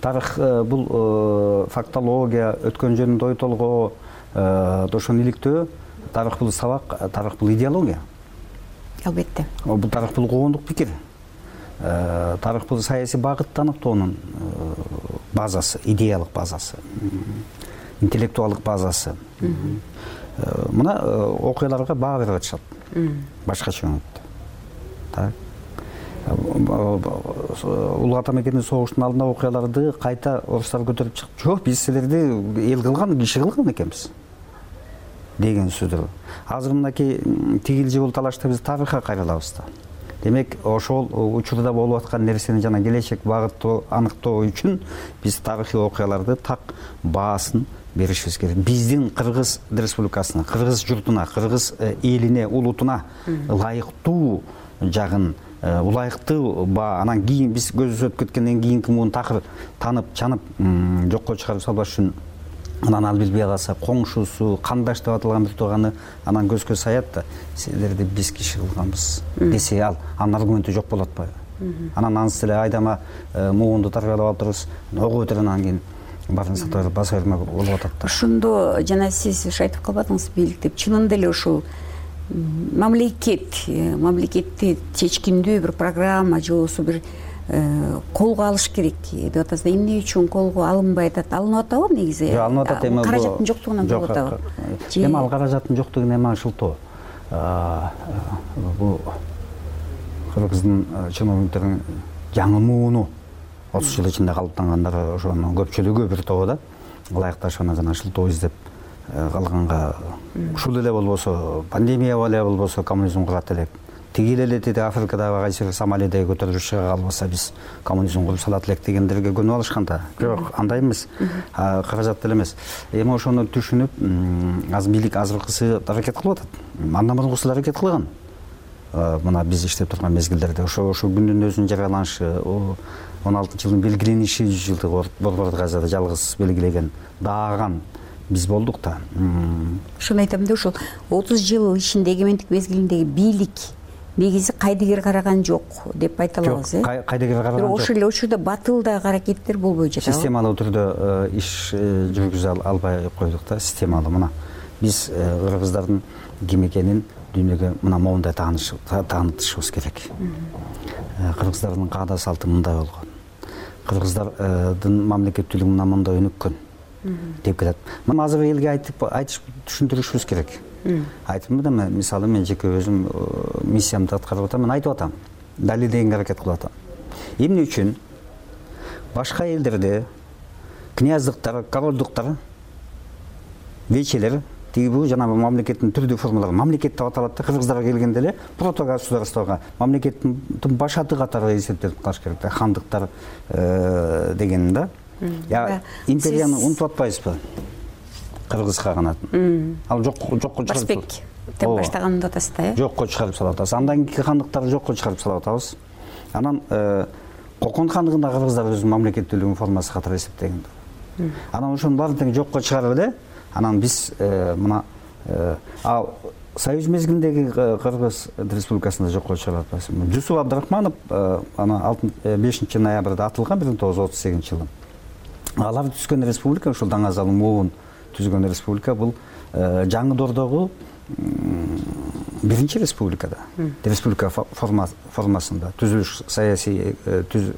тарых бул фактология, өткөн жөнүндө ой толгоо, ошону иликтөө. Тарых бул сабак, тарых бул идеология. Албетте. Бул тарых бул коомдук пикир. Тарых бул саясий багытты аныктоонун базасы, идеялык базасы, интеллектуалдык базасы. Мына окуяларга баа берип атышат. Башкача өңүттө. Так. Улуу ата мекендин согуштун алдында окуяларды кайта орустар көтөрүп чыгып, жок, биз силерди эл кылган, киши кылган экенбиз деген сөздөр. Азыр мынакей тигил же бул талашта биз тарыхка кайрылабыз да. Демек, ошол учурда болуп аткан нерсени жана келечек багыттоо аныктоо үчүн биз тарыхый окуяларды так баасын беришибиз керек. Биздин Кыргыз Республикасына, Кыргыз журтуна, Кыргыз элине, улутуна ылайыктуу жагын, ылайыктуу баа, анан кийин биз көзүбүз өтүп кеткенден кийинки муун такыр танып, чанып, жокко чыгарып салбаш үчүн анан ал билбей калса, коңшусу, кандаш деп аталган бир тууганы анан көзгө саят да, силерди биз киши кылганбыз десе, ал анын аргументи жок болот атпайбы? Анан анысы эле айдама муунду тарбиялап алып турубуз, ого өтөр, анан кийин баарын сатып баса берме болуп атат да. Ошондо жана сиз айтып калбадыңыз бийлик деп, чынында эле ушул мамлекет, мамлекетти чечкиндүү бир программа же болбосо бир колго алыш керек деп атасыз. Эмне үчүн колго алынбай атат? Алынып атабы негизи? Жок, алынып атат эми. Каражаттын жоктугунан болуп атабы? Эми ал каражаттын жоктугу эми аңшылтоо. Бул Кыргыздын чиновниктеринин жаңы мууну отуз жыл ичинде калыптангандар ошонун көпчүлүгү бир тобу да ылайыкташууна жана шылтоо издеп калганга, ушул эле болбосо, пандемия эле болбосо коммунизм курат элек. Тигил эле деди Африкадагы кайсы Сомалиядеги көтөрүлүш чыга калбаса биз коммунизм куруп салат элек дегендерге көнүп алышкан да. Жок, андай эмес. Каражат деле эмес. Эми ошону түшүнүп, азыр бийлик азыркысы аракет кылып атат. Андан мурункусы аракет кылган. Мына биз иштеп турган мезгилдерде ошо ошо күндүн өзүнүн жарыяланышы, он алтынчы жылдын белгилениши жүз жылдык Борбор Газада жалгыз белгилеген, дааган биз болдук да. Ошону айтам да, ошол отуз жыл ичинде эгемендик мезгилиндеги бийлик негизи кайдыгер караган жок деп айта алабыз, э? Кайдыгер караган жок. Ошол эле учурда батылдагы аракеттер болбой жатабы? Системалуу түрдө иш жүргүзө албай койдук да, системалуу. Мына биз кыргыздардын ким экенин дүйнөгө мына моундай таанытышыбыз керек. Кыргыздардын каада салты мындай болгон. Кыргыздардын мамлекеттүүлүгү мына мындай өнүккөн деп келет. Мына азыр элге айтып айтып түшүндүрүшүбүз керек. Айтып да, мисалы мен жеке өзүм миссиямды аткарып атам, мен айтып атам, далилдегенге аракет кылып атам. Эмне үчүн башка элдерде князьдыктар, королдуктар, вечелер, тиги бул жана мамлекеттин түрдүү формалары мамлекет деп аталат да, кыргыздарга келгенде эле протогосударствого мамлекеттин башаты катары эсептелип калыш керек да, хандыктар деген да. Я империяны унутуп атпайбызбы? Кыргыз каганатын. Ал жок жокко чыгарып Башбек деп баштаганын деп атасыз да, э? Жокко чыгарып салып атабыз. Андан кийинки хандыктарды жокко чыгарып салып атабыз. Анан Кокон хандыгында кыргыздар өзүнүн мамлекеттүүлүгүнүн формасы катары эсептеген. Анан ошонун баарын тең жокко чыгарып эле, анан биз мына ал Союз мезгилиндеги Кыргыз Республикасында жокко чыгарып атпайбыз. Жусуп Абдрахманов ана бешинчи ноябрда атылган бир миң тогуз жүз отуз сегизинчи жылы. Алар түзгөн республика, ушул Даңазал муун түзгөн республика, бул жаңы дордогу биринчи республикада, республика формасында түзүлүш, саясий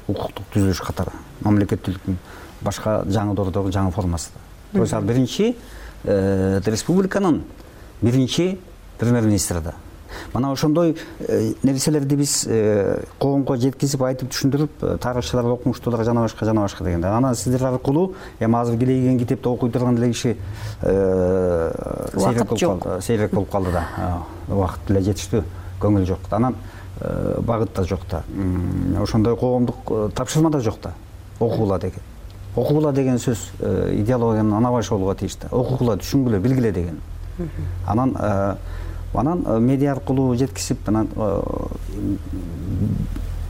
укуктук түзүлүш катары, мамлекеттүүлүктүн башка жаңы дордогу жаңы формасында. То есть ал биринчи республиканын биринчи премьер-министри да. Мана ошондой нерселерди биз коомго жеткизип, айтып түшүндүрүп, тарыхчылар, окумуштуулар жана башка жана башка дегенде. Анан сиздер аркылуу эми азыр келейген китепти окуй турган эле киши сейрек болуп калды, сейрек болуп калды да. Убакыт деле жетиштүү, көңүл жок. Анан багыт да жок да. Ошондой коомдук тапшырма да жок да. Окуула деген. окугула деген сөз идеологиянын ана башы болууга тийиштүү. Окугула, түшүнгүлө, билгиле деген. Анан анан медиа аркылуу жеткизип, анан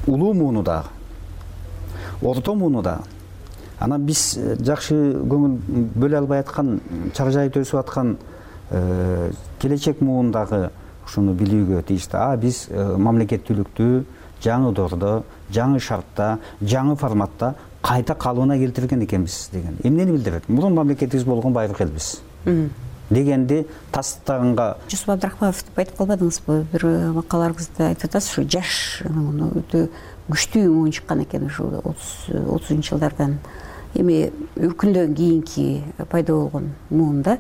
улуу мууну дагы, орто мууну дагы. Анан биз жакшы көңүл бөлө албай аткан, чаржайып өсүп аткан келечек муундагы ушуну билүүгө тийиштүү. А биз мамлекеттүүлүктү жаңы доордо, жаңы шартта, жаңы форматта кайта калыбына келтирген экенбиз деген. Эмнени билдирет? Мурун мамлекетибиз болгон байыркы элбиз дегенди тастаганга. Жусуп Абдрахманов деп айтып калбадыңызбы? Бир макалаларыңызда айтып атасыз, ушу жаш өтө күчтүү муун чыккан экен ушу отузунчу жылдардан. Эми өркүндөн кийинки пайда болгон муунда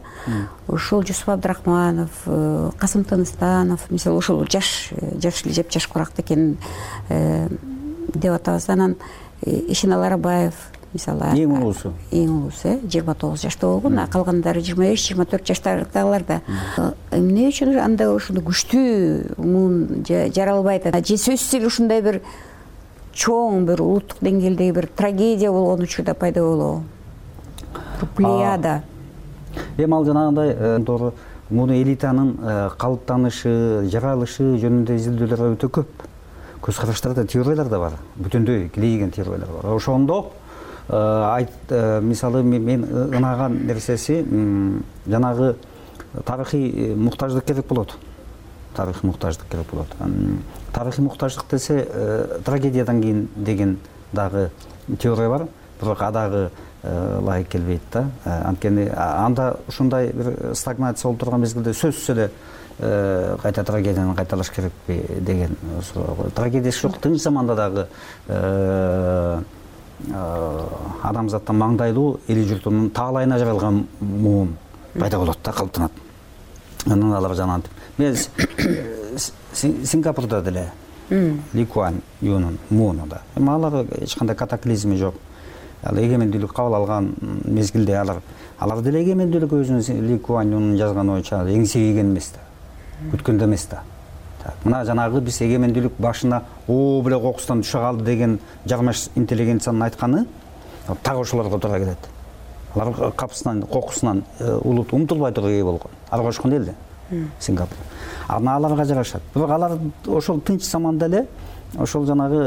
ошол Жусуп Абдрахманов, Касым Тыныстанов, мисалы ошол жаш жаш эле жапжашкыраак экен деп атабыз. Анан Ишеналы Арабаев мисалы эң улуусу эң улуусу жыйырма тогуз жашта болгон, а калгандары жыйырма беш жыйырма төрт жаштардагыларда. Эмне үчүн анда ушундай күчтүү муун жаралбайт? Же сөзсүз эле ушундай бир чоң бир улуттук деңгээлдеги бир трагедия болгон учурда пайда болобу? Плеяда. Эми ал жанагындай туура муну элитанын калыптанышы, жаралышы жөнүндө изилдөөлөр өтө көп. Көз караштарда, теориялар да бар. Бүтүндөй килейген теориялар бар. Ошондо айт мисалы мен ынаган нерсеси жанагы тарыхый муктаждык керек болот. Тарыхый муктаждык керек болот. Тарыхый муктаждык десе трагедиядан кийин деген дагы теория бар. Бирок адагы ылайык келбейт да. Анткени анда ушундай бир стагнация болуп турган мезгилде сөзсүз эле кайта трагедияны кайталаш керекпи деген суроо. Трагедия жок, тынч заманда дагы адамзаттан маңдайлуу эли журтунун таалайына жаралган муун пайда болот да, калыптанат. Анан алар жанагынтип. Мен Сингапурда деле Ли Куан Юнун мууну да. Эми алар эч кандай катаклизми жок. Ал эгемендүүлүк кабыл алган мезгилде алар алар деле эгемендүүлүк өзүнүн Ли Куан Юнун жазган боюнча эңсейген эмес да. Күткөндө эмес да. Мына жанагы биз эгемендүүлүк башына о беле кокустан түшө калды деген жармаш интеллигенциянын айтканы так ошолорго туура келет. Алар капысынан, кокусунан улут умтулбай туруп ээ болгон. Арга ошкон эле Сингапур. Анан аларга жарашат. Бирок алар ошол тынч заманда эле ошол жанагы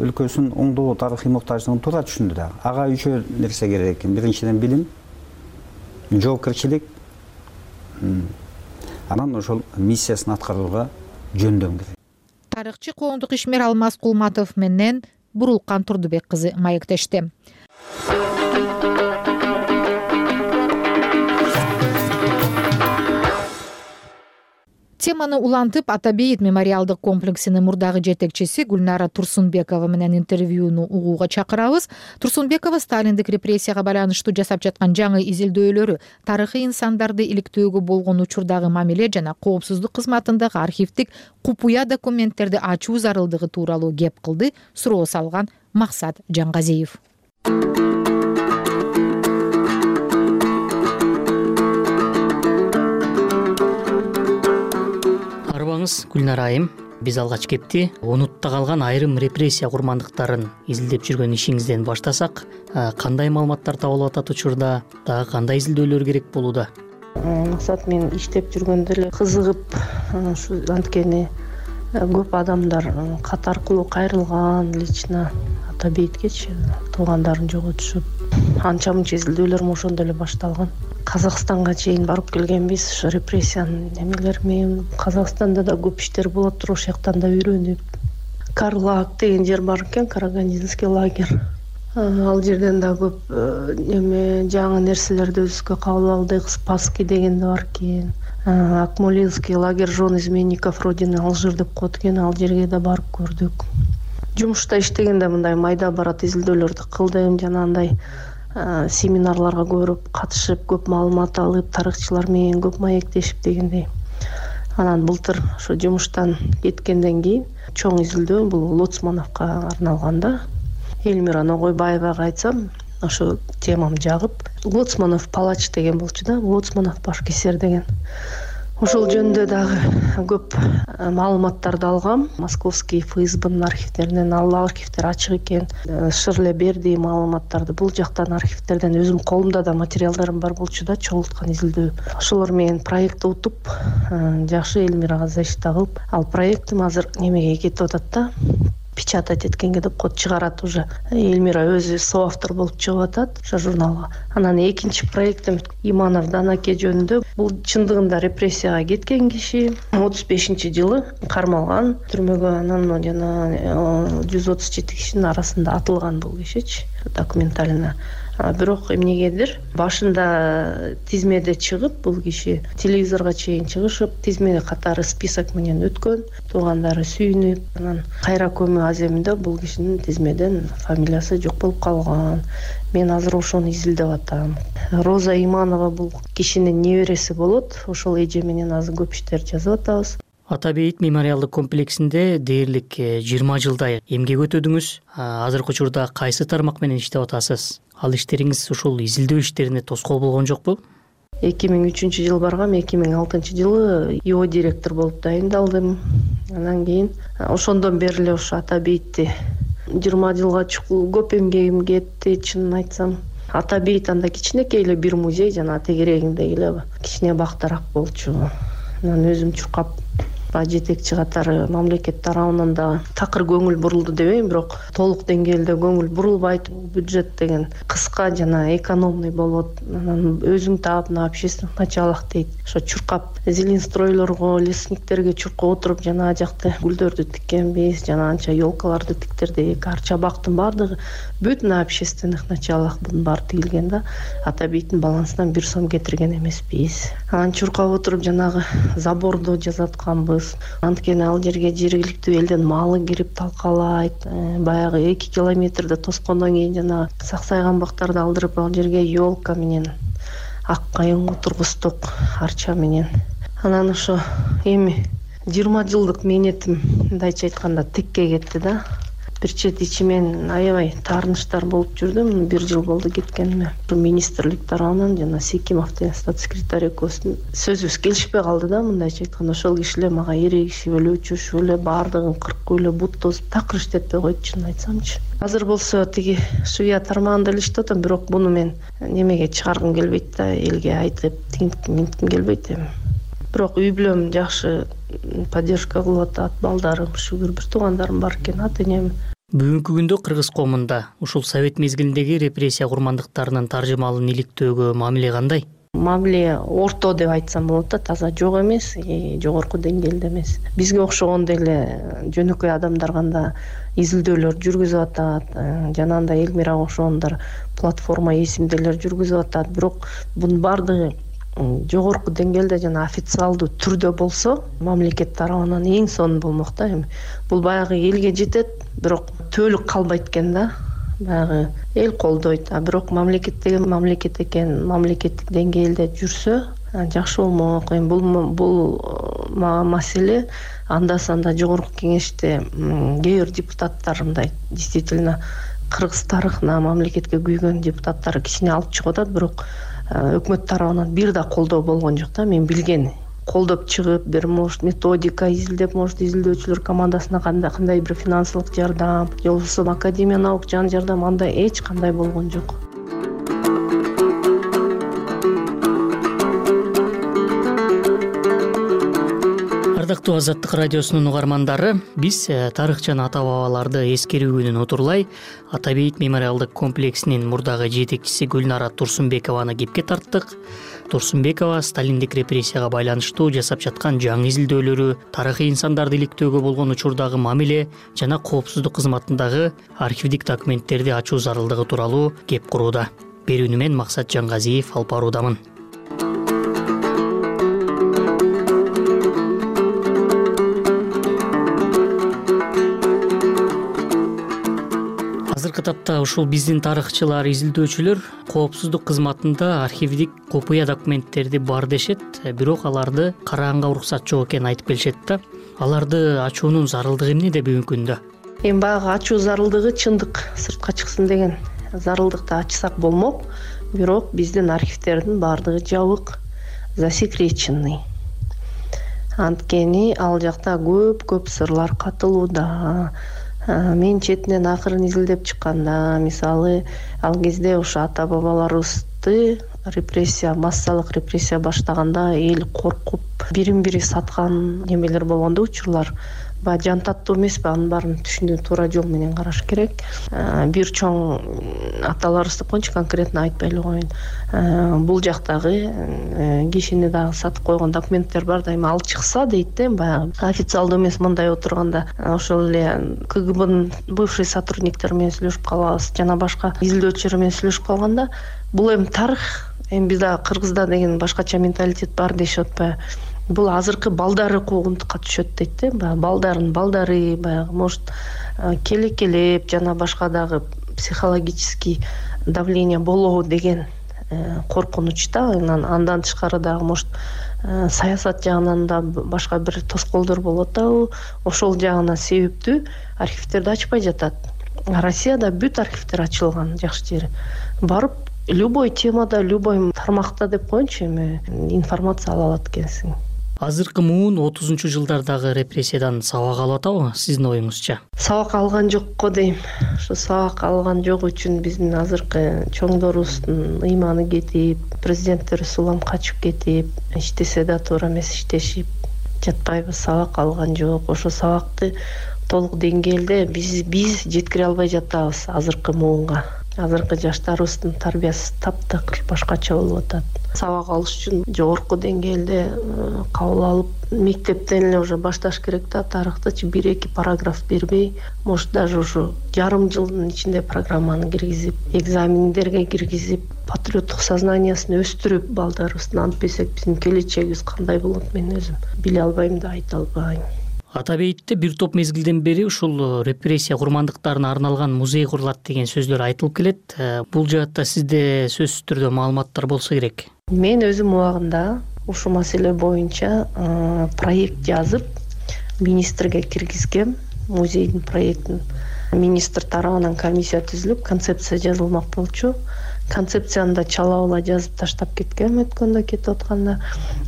өлкөсүнүн оңдоо тарыхый муктаждыгын туура түшүндү да. Ага үчөө нерсе керек экен. Биринчиден билим, жоопкерчилик, анан ошол миссиясын аткарууга жөндөм керек. Тарыхчы коомдук ишмер Алмаз Кулматов менен Бурулкан Турдубек кызы маектешти. Теманы улантып, Атабейит мемориалдык комплексинин мурдагы жетекчиси Гүлнара Турсунбекова менен интервьюну угууга чакырабыз. Турсунбекова Сталиндик репрессияга байланыштуу жасап жаткан жаңы изилдөөлөрү, тарыхый инсандарды иликтөөгө болгон учурдагы мамиле жана коопсуздук кызматындагы архивдик купуя документтерди ачуу зарылдыгы тууралуу кеп кылды, суроо салган Максат Жангазиев. Гүлнара айым, биз алгач кепти онутта калган айрым репрессия курмандыктарын изилдеп жүргөн ишиңизден баштасак, кандай маалыматтар табылып атат учурда, дагы кандай изилдөөлөр керек болууда? Максат, мен иштеп жүргөндө эле кызыгып, ушу анткени көп адамдар кат аркылуу кайрылган, лично Атабейткечи туугандарын жоготушуп, анча мынча изилдөөлөрүм ошондо эле башталган. Казакстанга чейин барып келгенбиз, ушу репрессиянын эмелери менен. Казакстанда да көп иштер болот туруп, ошол жактан да үйрөнүп. Карлак деген жер бар экен, Карагандинский лагерь. Ал жерден да көп эме жаңы нерселерди өзүбүзгө кабыл алдык. Спасский деген да бар экен. Акмолинский лагерь жон изменников Родины Алжир деп коет экен, ал жерге да барып көрдүк. Жумушта иштегенде мындай майда барат изилдөөлөрдү кылдым, жанагындай семинарларга көрүп катышып, көп маалымат алып, тарыхчылар менен көп маектешип дегендей. Анан былтыр ошо жумуштан кеткенден кийин чоң изилдөө бул Лоцмановго арналган да. Элмира Ногойбаевага айтсам, ошо темам жагып, Лоцманов палач деген болчу да, Лоцманов башкесер деген. ошол жөнүндө дагы көп маалыматтарды алгам. Московский ФСБнын архивдеринен ал архивдер ачык экен. Шырле берди маалыматтарды. Бул жактан архивдерден өзүм колумда да материалдарым бар болчу да, чогулткан изилдөө. Ошолор менен проектти утуп, жакшы Элмирага защита кылып, ал проектим азыр немеге кетип атат да. Печатать эткенге деп код чыгарат уже. Элмира өзү соавтор болуп чыгып атат ошо журналга. Анан экинчи проектим Иманов Данаке жөнүндө. Бул чындыгында репрессияга кеткен киши, отуз бешинчи жылы кармалган, түрмөгө, анан жана жүз отуз жети кишинин арасында атылган бул кишичи, документально. Бирок эмнегедир башында тизмеде чыгып, бул киши телевизорго чейин чыгышып, тизме катары список менен өткөн, туугандары сүйүнүп, анан кайра көмүү аземинде бул кишинин тизмеден фамилиясы жок болуп калган. Мен азыр ошону изилдеп атам. Роза Иманова бул кишинин небереси болот. Ошол эже менен азыр көп иштер жазып атабыз. Ата бейит мемориалдык комплексинде дээрлик жыйырма жылдай эмгек өтөдүңүз. Азыркы учурда кайсы тармак менен иштеп атасыз? Ал иштериңиз ушул изилдөө иштерине тоскоол болгон жокпу? эки миң үчүнчү жылы баргам, эки миң алтынчы жылы ИО директор болуп дайындалдым. Андан кийин ошондон бери эле ошо Ата бейтти жыйырма жылга чукул көп эмгегим кетти, чынын айтсам. Ата бейит анда кичинекей эле бир музей жана тегерегиндеги эле кичине бактарак болчу. Анан өзүм чуркап жетекчи катары мамлекет тарабынан да такыр көңүл бурулду дебейм, бирок толук деңгээлде көңүл бурулбайт. Бюджет деген кыска жана экономный болот. Анан өзүң таап, на общественных началах дейт. Ошо чуркап зеленстройлорго, лесниктерге чуркап отуруп жана жакты гүлдөрдү тиккенбиз, жана анча елкаларды тиктердик. Арча бактын баардыгы бүт на общественных началах бунун баары тигилген да. Ата бейттин балансынан бир сом кетирген эмеспиз. Анан чуркап отуруп жанагы заборду жасатканбыз. Анткени ал жерге жергиликтүү элдин малы кирип талкалайт. Баягы эки километрде тоскондон кийин жана саксайган бактарды алдырып ал жерге елка менен ак кайың отургуздук, арча менен. Анан ошо эми жыйырма жылдык мээнетим мындайча айтканда текке кетти да. Бир чет ичимен аябай таарынычтар болуп жүрдүм. Бир жыл болду кеткениме. Министрлик тарабынан жана Секимовдун статс-секретарь экөөбүздүн сөзүбүз келишпей калды да, мындайча айтканда. Ошол кишилер мага эрегишип эле, үчүшүп эле, баардыгын кыркып эле, бут тосуп такыр иштетпей койду, чынын айтсамчы. Азыр болсо тиги Швия тармагында эле иштеп атам, бирок муну мен немеге чыгаргым келбейт да, элге айтып, тигинтким минтким келбейт эми. Бирок үй бүлөм жакшы поддержка кылып атат, балдарым, шүгүр, бир туугандарым бар экен, ата-энем. Бүгүнкү күндө кыргыз коомунда ушул совет мезгилиндеги репрессия курмандыктарынын таржымалын иликтөөгө мамиле кандай? Мамиле орто деп айтсам болот да, таза жок эмес, жогорку деңгээлде эмес. Бизге окшогондой эле жөнөкөй адамдар кандай изилдөөлөр жүргүзүп атат, жанагындай Элмирага окшогондар платформа эсимделер жүргүзүп атат, бирок бунун баардыгы жогорку деңгээлде жана официалдуу түрдө болсо, мамлекет тарабынан эң сонун болмок да. Эми бул баягы элге жетет, бирок төөлүк калбайт экен да. Баягы эл колдойт, а бирок мамлекет деген мамлекет экен, мамлекеттик деңгээлде жүрсө жакшы болмок. Эми бул бул маселе анда санда жогорку кеңеште кээ бир депутаттар мындай действительно кыргыз тарыхына, мамлекетке күйгөн депутаттар кичине алып чыгып атат, бирок өкмөт тарабынан бир да колдоо болгон жок да. Мен билген колдоп чыгып, бир может методика изилдеп, может изилдөөчүлөр командасына кандай кандай бир финансылык жардам, же болбосо академия наук жан жардам, андай эч кандай болгон жок. Ардактуу Азаттык радиосунун угармандары, биз тарых жана ата бабаларды эскерүү күнүн отурлай Ата бейит мемориалдык комплексинин мурдагы жетекчиси Гүлнара Турсунбекованы кепке тарттык. Турсунбекова Сталиндик репрессияга байланыштуу жасап жаткан жаңы изилдөөлөрү, тарыхый инсандарды иликтөөгө болгон учурдагы мамиле жана коопсуздук кызматындагы архивдик документтерди ачуу зарылдыгы тууралуу кеп курууда. Берүүнү мен Максат Жангазиев алып баруудамын. Азыркы тапта ушул биздин тарыхчылар, изилдөөчүлөр коопсуздук кызматында архивдик копуя документтерди бар дешет, бирок аларды караганга уруксат жок экенин айтып келишет да. Аларды ачуунун зарылдыгы эмнеде бүгүнкү күндө? Эми баягы ачуу зарылдыгы чындык сыртка чыксын деген зарылдыкты ачсак болмок, бирок биздин архивдердин баардыгы жабык, засекреченный. анткени ал жакта көп көп сырлар катылууда. Мен четинен акырын изилдеп чыкканда, мисалы ал кезде ошо ата бабаларыбызды репрессия, массалык репрессия баштаганда эл коркуп бирин бири саткан немелер болгондо, учурлар баягы жан таттуу эмеспи, анын баарын түшүнүү туура жол менен караш керек. Бир чоң аталарыбызды коеюнчу, конкретно айтпай эле коеюн. Бул жактагы кишини дагы сатып койгон документтер бар, дайыма ал чыкса дейт да, баягы официалдуу эмес, мындай отурганда ошол эле КГБнын бывший сотрудниктери менен сүйлөшүп калабыз, жана башка изилдөөчүлөр менен сүйлөшүп калганда, бул эми тарых, эми бизде кыргызда деген башкача менталитет бар дешип атпайбы. Бул азыркы балдары куугунтукка түшөт дейт да, баягы балдардын балдары, баягы может келекелеп жана башка дагы психологический давление болобу деген коркунучта. Андан тышкары дагы может саясат жагынан да башка бир тоскоолдор болуп атабы, ошол жагына себептүү архивтерди ачпай жатат. Россияда бүт архивтер ачылган, жакшы жери. Барып любой темада, любой тармакта деп коеюнчу, эми информация ала алат экенсиң. Азыркы муун отузунчу жылдардагы репрессиядан сабак алып атабы, сиздин оюңузча? Сабак алган жок го дейм. Ошо сабак алган жок үчүн биздин азыркы чоңдорубуздун ыйманы кетип, президенттери сулам качып кетип, иштесе да туура эмес иштешип жатпайбыз. Сабак алган жок. Ошо сабакты толук деңгээлде биз биз жеткире албай жатабыз азыркы муунга. Азыркы жаштарыбыздын тарбиясы таптакыр башкача болуп атат. Сабак алыш үчүн жогорку деңгээлде кабыл алып, мектептен эле уже башташ керек да, тарыхтычы бир эки параграф бербей, может даже ушу жарым жылдын ичинде программаны киргизип, экзамендерге киргизип, патриоттук сознаниясын өстүрүп балдарыбыздын, антпесек биздин келечегибиз кандай болот, мен өзүм биле албайм да, айта албайм. Ата бейитте бир топ мезгилден бери ушул репрессия курмандыктарына арналган музей курулат деген сөздөр айтылып келет. Бул жаатта сизде сөзсүз түрдө маалыматтар болсо керек. Мен өзүм убагында ушул маселе боюнча проект жазып, министрге киргизгем, музейдин проектин. Министр тарабынан комиссия түзүлүп, концепция жазылмак болчу. Концепцияны да чала-була жазып таштап кеткем өткөндө, кетип атканда.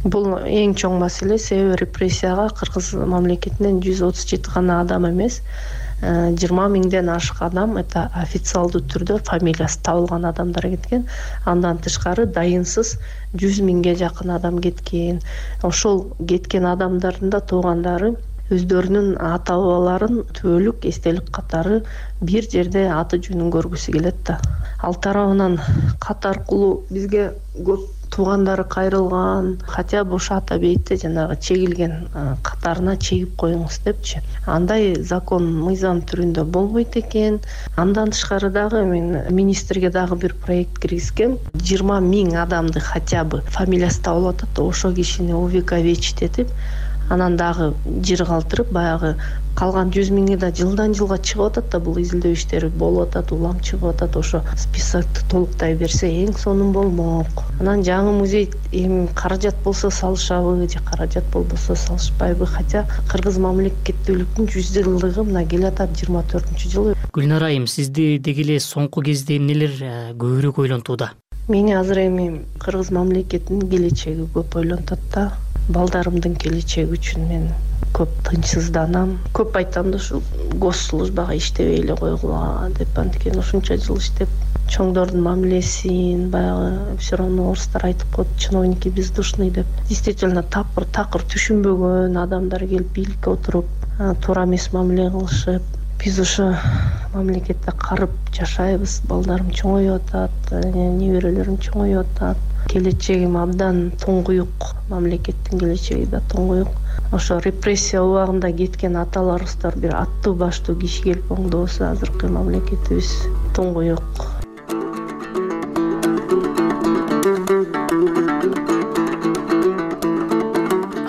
Бул эң чоң маселе, себеби репрессияга кыргыз мамлекетинен жүз отуз жети гана адам эмес, жыйырма миңден ашык адам это официалдуу түрдө фамилиясы табылган адамдар кеткен. Андан тышкары дайынсыз жүз миңге жакын адам кеткен. Ошол кеткен адамдардын да туугандары өздөрүнүн ата бабаларын түбөлүк эстелик катары бир жерде аты жөнүн көргүсү келет да. Ал тарабынан кат аркылуу бизге көп туугандары кайрылган, хотя бы ошо ата бейитте жанагы чегилген катарына чегип коюңуз депчи. Андай закон, мыйзам түрүндө болбойт экен. Андан тышкары дагы мен министрге дагы бир проект киргизгем. жыйырма миң адамды хотя бы фамилиясы табылып атат, ошол кишини увековечить этип, анан дагы жыр калтырып, баягы калган жүз миңи да жылдан жылга чыгып атат да, бул изилдөө иштери болуп атат, улам чыгып атат. Ошо списокты толуктай берсе эң сонун болмок. Анан жаңы музей эми каражат болсо салышабы, же каражат болбосо салышпайбы, хотя кыргыз мамлекеттүүлүктүн жүз жылдыгы мына келатат жыйырма төртүнчү жылы. Гүлнара айым, сизди деги эле соңку кезде эмнелер көбүрөөк ойлонтууда? Мени азыр эми кыргыз мамлекетинин келечеги көп ойлонтот да. Балдарымдын келечеги үчүн мен көп тынчсызданам. Көп айтам да, ушу госслужбага иштебей эле койгула деп, анткени ушунча жыл иштеп, чоңдордун мамилесин, баягы все равно орустар айтып коет, чиновники бездушный деп. Действительно тапыр такыр түшүнбөгөн адамдар келип бийликке отуруп, туура эмес мамиле кылышып, биз ошо мамлекетте карып жашайбыз. Балдарым чоңоюп атат, неберелерим чоңоюп атат. Келечегим абдан туңгуюк, мамлекеттин келечеги да туңгуюк. Ошо репрессия убагында кеткен аталарыбыздар бир аттуу баштуу киши келип оңдобосо, азыркы мамлекетибиз туңгуюк.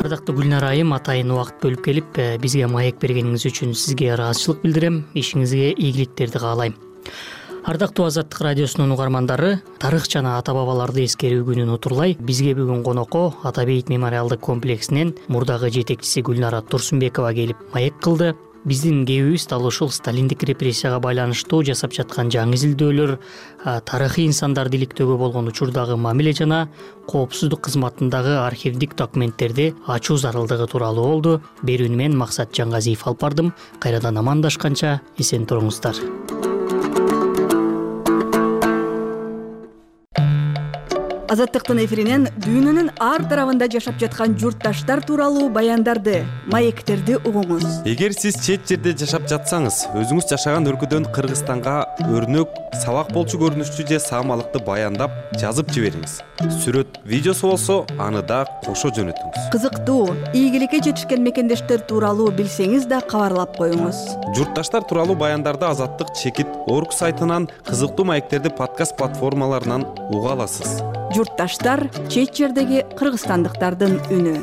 Ардактуу Гүлнара айым, атайын убакыт бөлүп келип бизге маек бергениңиз үчүн сизге ыраазычылык билдирем. Ишиңизге ийгиликтерди каалайм. Ардактуу Азаттык радиосунун угармандары, тарых жана ата бабаларды эскерүү күнүн утурлай бизге бүгүн конокко Ата бейит мемориалдык комплексинин мурдагы жетекчиси Гүлнара Турсунбекова келип маек кылды. биздин кээбибиз дал ушул сталиндик репрессияга байланыштуу жасап жаткан жаңы изилдөөлөр, тарыхый инсандарды иликтөөгө болгон учурдагы мамиле жана коопсуздук кызматындагы архивдик документтерди ачуу зарылдыгы тууралуу болду. Берүүнү мен Максат Жангазиев алып бардым. Кайрадан амандашканча эсен туруңуздар. Азаттыктын эфиринен дүйнөнүн ар тарабында жашап жаткан журтташтар тууралуу баяндарды, маектерди угуңуз. Эгер сиз чет жерде жашап жатсаңыз, өзүңүз жашаган өлкөдөн Кыргызстанга өрнөк, сабак болчу көрүнүштүү же саамалыкты баяндап жазып жибериңиз. Сүрөт, видеосу болсо, аны да кошо жөнөтүңүз. Кызыктуу, ийгиликке жетишкен мекендештер тууралуу билсеңиз да кабарлап коюңуз. Журтташтар тууралуу баяндарды Азаттык чекит орг сайтынан, кызыктуу маектерди подкаст платформаларынан уга аласыз. Журтташтар — чет жердеги кыргызстандыктардын үнү.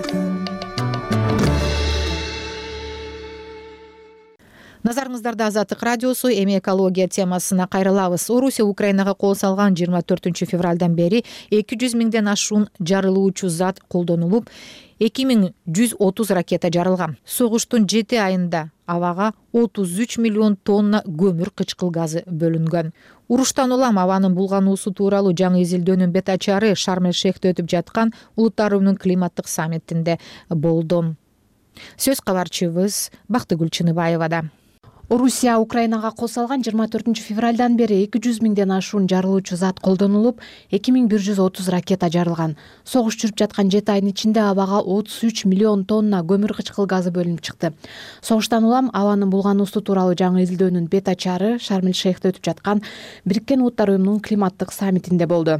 Назарыңыздарда Азаттык радиосу, эми экология темасына кайрылабыз. Орусия Украинага кол салган жыйырма төртүнчү февралдан бери эки жүз миңден ашуун жарылуучу зат колдонулуп, эки миң жүз отуз ракета жарылган. Согуштун жети айында абага отуз үч миллион тонна көмүр кычкыл газы бөлүнгөн. Уруштан улам абанын булгануусу тууралуу жаңы изилдөөнүн бет ачары Шарм-эль-Шейхте өтүп жаткан Улуттар уюмунун климаттык саммитинде болду. Сөз кабарчыбыз Бактыгүл Чыныбаевада. Орусия Украинага кол салган жыйырма төртүнчү февралдан бери эки жүз миңден ашуун жарылуучу зат колдонулуп, эки миң бир жүз отуз ракета жарылган. Согуш жүрүп жаткан жети айдын ичинде абага отуз үч миллион тонна көмүр кычкыл газы бөлүнүп чыкты. Согуштан улам абанын булгануусу тууралуу жаңы изилдөөнүн бет ачары Шарм-эль-Шейхте өтүп жаткан Бириккен Улуттар уюмунун климаттык саммитинде болду.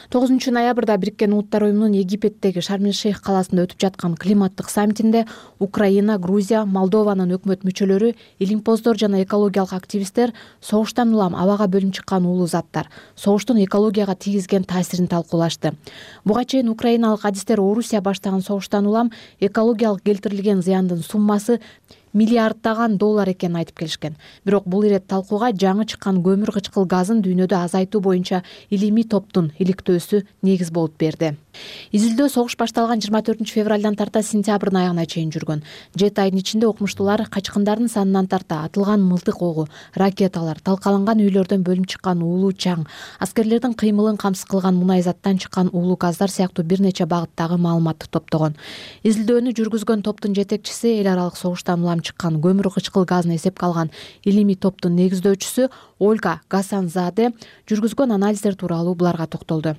тогузунчу ноябрда Бириккен Улуттар уюмунун Египеттеги Шарм-эль-Шейх каласында өтүп жаткан климаттык саммитинде Украина, Грузия, Молдованын өкмөт мүчөлөрү, илимпоздор жана экологиялык активисттер согуштан улам абага бөлүнүп чыккан уулуу заттар, согуштун экологияга тийгизген таасирин талкуулашты. Буга чейин украиналык адистер Орусия баштаган согуштан улам экологиялык келтирилген зыяндын суммасы миллиарддаган доллар экенин айтып келишкен. Бирок бул ирет талкууга жаңы чыккан көмүр кычкыл газын дүйнөдө азайтуу боюнча илимий топтун иликтөөсү негиз болуп берди. Изилдөө согуш башталган жыйырма төртүнчү февралдан тарта сентябрдын аягына чейин жүргөн. жети айдын ичинде окумуштуулар качкындардын санынан тарта атылган мылтык огу, ракеталар, талкаланган үйлөрдөн бөлүнүп чыккан уулуу чаң, аскерлердин кыймылын камсыз кылган мунай заттан чыккан уулуу газдар сыяктуу бир нече багыттагы маалыматты топтогон. Изилдөөнү жүргүзгөн топтун жетекчиси эл аралык согуштан улам чыккан көмүр кычкыл газын эсепке алган илимий топтун негиздөөчүсү Ольга Гасанзаде жүргүзгөн анализдер тууралуу буларга токтолду.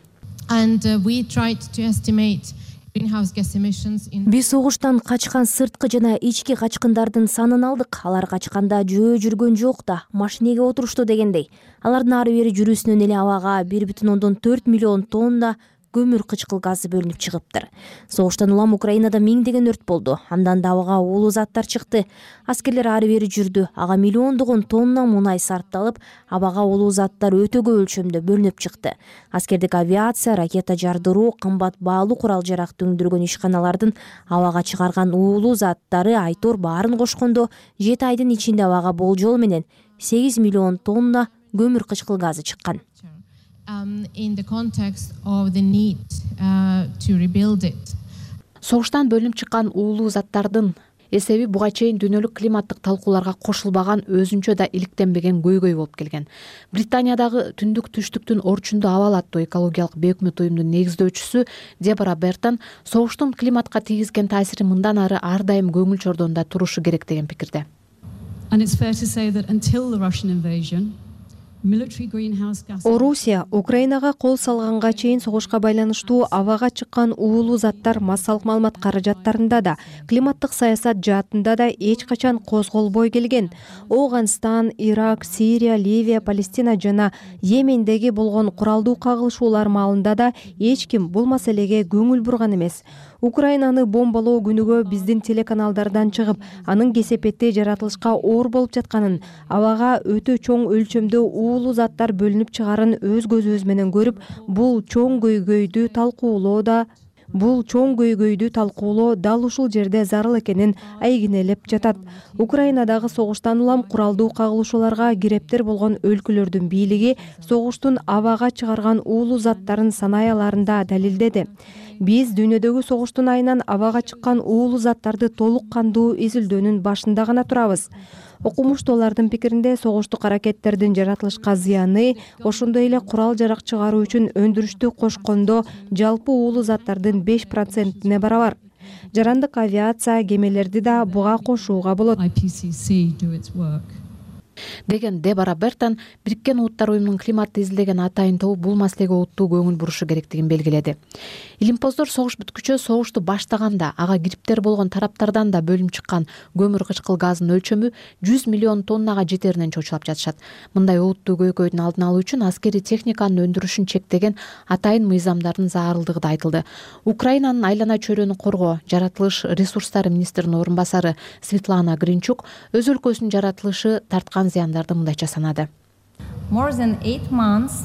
Биз согуштан качкан сырткы жана ички качкындардын санын алдык. Алар качканда жөө жүргөн жок да, машинеге отурушту дегендей. Алардын ары бери жүрүүсүнөн эле абага бир бүтүн ондон төрт миллион тонна көмүр кычкыл газы бөлүнүп чыгыптыр. Согуштан улам Украинада миңдеген өрт болду. Андан да абага уулуу заттар чыкты. Аскерлер ары бери жүрдү. Ага миллиондогон тонна мунай сарпталып, абага уулуу заттар өтө көп өлчөмдө бөлүнүп чыкты. Аскердик авиация, ракета жардыруу, кымбат баалуу курал-жаракты өндүргөн ишканалардын абага чыгарган уулуу заттары айтор баарын кошкондо жети айдын ичинде абага болжол менен сегиз миллион тонна көмүр кычкыл газы чыккан. Согуштан бөлүнүп чыккан уулуу заттардын эсеби буга чейин дүйнөлүк климаттык талкууларга кошулбаган, өзүнчө да иликтенбеген көйгөй болуп келген. Британиядагы Түндүк түштүктүн орчунду абал аттуу экологиялык бейөкмөт уюмдун негиздөөчүсү Дебора Бертон согуштун климатка тийгизген таасири мындан ары ар дайым көңүл чордонда турушу керек деген пикирде. Орусия Украинага кол салганга чейин согушка байланыштуу абага чыккан уулуу заттар массалык маалымат каражаттарында да, климаттык саясат жаатында да эч качан козголбой келген. Ооганстан, Ирак, Сирия, Ливия, Палестина жана Йемендеги болгон куралдуу кагылышуулар маалында да эч ким бул маселеге көңүл бурган эмес. Украинаны бомбалоо күнүгө биздин телеканалдардан чыгып, анын кесепетти жаратылышка оор болуп жатканын, абага өтө чоң өлчөмдө уулуу заттар бөлүнүп чыгарын өз көзүбүз менен көрүп, бул чоң көйгөйдү талкуулоо да Бул чоң көйгөйдү талкуулоо дал ушул жерде зарыл экенин айгинелеп жатат. Украинадагы согуштан улам куралдуу кагылышууларга кирептер болгон өлкөлөрдүн бийлиги согуштун абага чыгарган уулуу заттарын санаяларында далилдеди. Биз дүйнөдөгү согуштун айынан абага чыккан уулуу заттарды толук кандуу изилдөөнүн башында гана турабыз. Окумуштуулардын пикиринде согуштук аракеттердин жаратылышка зыяны ошондой эле курал-жарак чыгаруу үчүн өндүрүштү кошкондо жалпы уулуу заттардын беш процентине барабар. Жарандык авиация кемелерди да буга кошууга болот деген Дебора Бертон Бириккен Улуттар уюмунун климатты изилдеген атайын тобу бул маселеге олуттуу көңүл бурушу керектигин белгиледи. Илимпоздор согуш бүткүчө согушту баштаганда ага кириптер болгон тараптардан да бөлүнүп чыккан көмүр кычкыл газынын өлчөмү жүз миллион тоннага жетеринен чочулап жатышат. Мындай олуттуу көйкөйдүн алдын алуу үчүн аскерий техниканын өндүрүшүн чектеген атайын мыйзамдардын зарылдыгы да айтылды. Украинанын айлана чөйрөнү коргоо, жаратылыш ресурстары министринин орун басары Светлана Гринчук өз өлкөсүнүн жаратылышы тарткан зыяндарды мындайча санады. More than eight months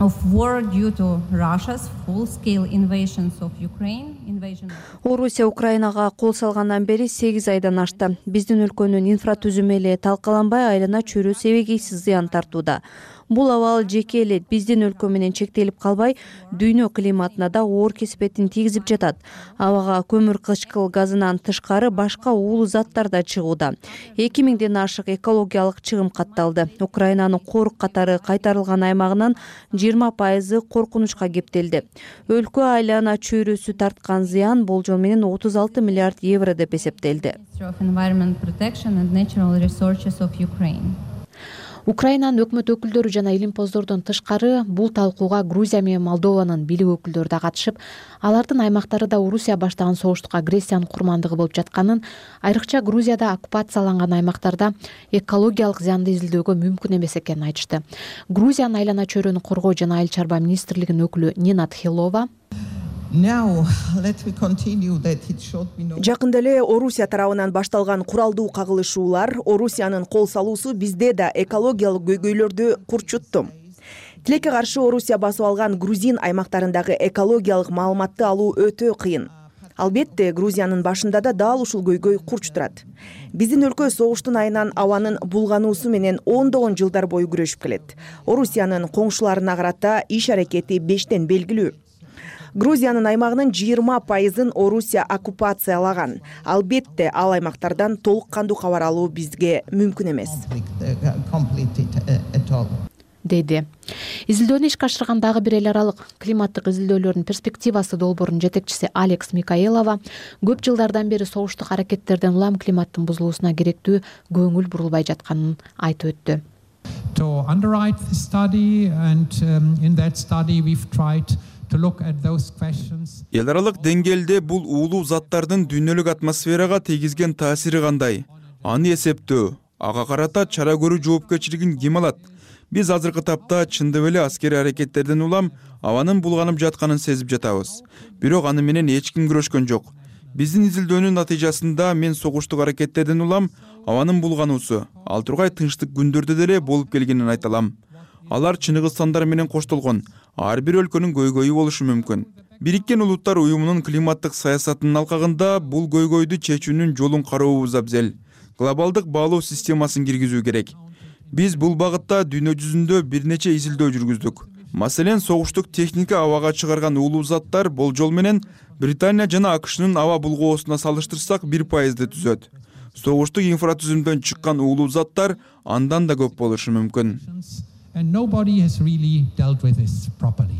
of war due to Russia's full-scale invasions of Ukraine. Орусия Украинага кол салгандан бери сегиз айдан ашты. Биздин өлкөнүн инфратүзүмү эле талкаланбай айлана чөйрө себегейсиз зыян тартууда. Бул абал жеке эле биздин өлкө менен чектелип калбай, дүйнө климатына да оор кесепетин тийгизип жатат. Абага көмүр кычкыл газынан тышкары башка уулуу заттар да чыгууда. эки миңден ашык экологиялык чыгым катталды. Украинанын корук катары кайтарылган аймагынын жыйырма пайызы коркунучка кептелди. Өлкө айлана чөйрөсү тарткан зыян болжол менен отуз алты миллиард евро деп эсептелди. Украинанын өкмөт өкүлдөрү жана илимпоздордон тышкары бул талкууга Грузия менен Молдованын бийлик өкүлдөрү да катышып, алардын аймактарында Орусия баштаган согуштук агрессиянын курмандыгы болуп жатканын, айрыкча Грузияда оккупацияланган аймактарда экологиялык зыянды изилдөөгө мүмкүн эмес экенин айтышты. Грузиянын айлана чөйрөнү коргоо жана айыл чарба министрлигинин өкүлү Нина Тхилова Жакында эле Орусия тарабынан башталган куралдуу кагылышуулар, Орусиянын кол салуусу бизде да экологиялык көйгөйлөрдү курчутту. Тилекке каршы Орусия басып алган грузин аймактарындагы экологиялык маалыматты алуу өтө кыйын. Албетте, Грузиянын башында да дал ушул көйгөй курч турат. Биздин өлкө согуштун айынан абанын булгануусу менен ондогон жылдар бою күрөшүп келет. Орусиянын коңшуларына карата иш аракети бештен белгилүү. Грузиянын аймагынын жыйырма пайызын Орусия оккупациялаган. Албетте, ал аймактардан толук кандуу кабар алуу бизге мүмкүн эмес. Деди. Изилдөөнү ишке ашырган дагы бир эл аралык климаттык изилдөөлөрдүн перспективасы долбоорунун жетекчиси Алекс Микаелова көп жылдардан бери согуштук аракеттерден улам климаттын бузулуусуна керектүү көңүл бурулбай жатканын айтып өттү. To underwrite the study and um, in that study we've tried Эл аралык деңгээлде бул уулуу заттардын дүйнөлүк атмосферага тийгизген таасири кандай? Аны эсептөө, ага карата чара көрүү жоопкерчилигин ким алат? Биз азыркы тапта чындап эле аскерий аракеттерден улам абанын булганып жатканын сезип жатабыз. Бирок аны менен эч ким күрөшкөн жок. Биздин изилдөөнүн натыйжасында мен согуштук аракеттерден улам абанын булгануусу ал тургай тынчтык күндөрдө деле болуп келгенин айта алам. Алар Чыныгызстандар менен коштолгон, ар бир өлкөнүн көйгөйү болушу мүмкүн. Бириккен Улуттар уюмунун климаттык саясатынын алкагында бул көйгөйдү чечүүнүн жолун карообуз абзел. Глобалдык баалоо системасын киргизүү керек. Биз бул багытта дүйнө жүзүндө бир нече изилдөө жүргүздүк. Маселен, согуштук техника абага чыгарган уулуу заттар болжол менен Британия жана АКШнын аба булгоосуна салыштырсак бир пайызды түзөт. Согуштук инфратүзүмдөн чыккан уулуу заттар андан да көп болушу мүмкүн. And nobody has really dealt with this properly.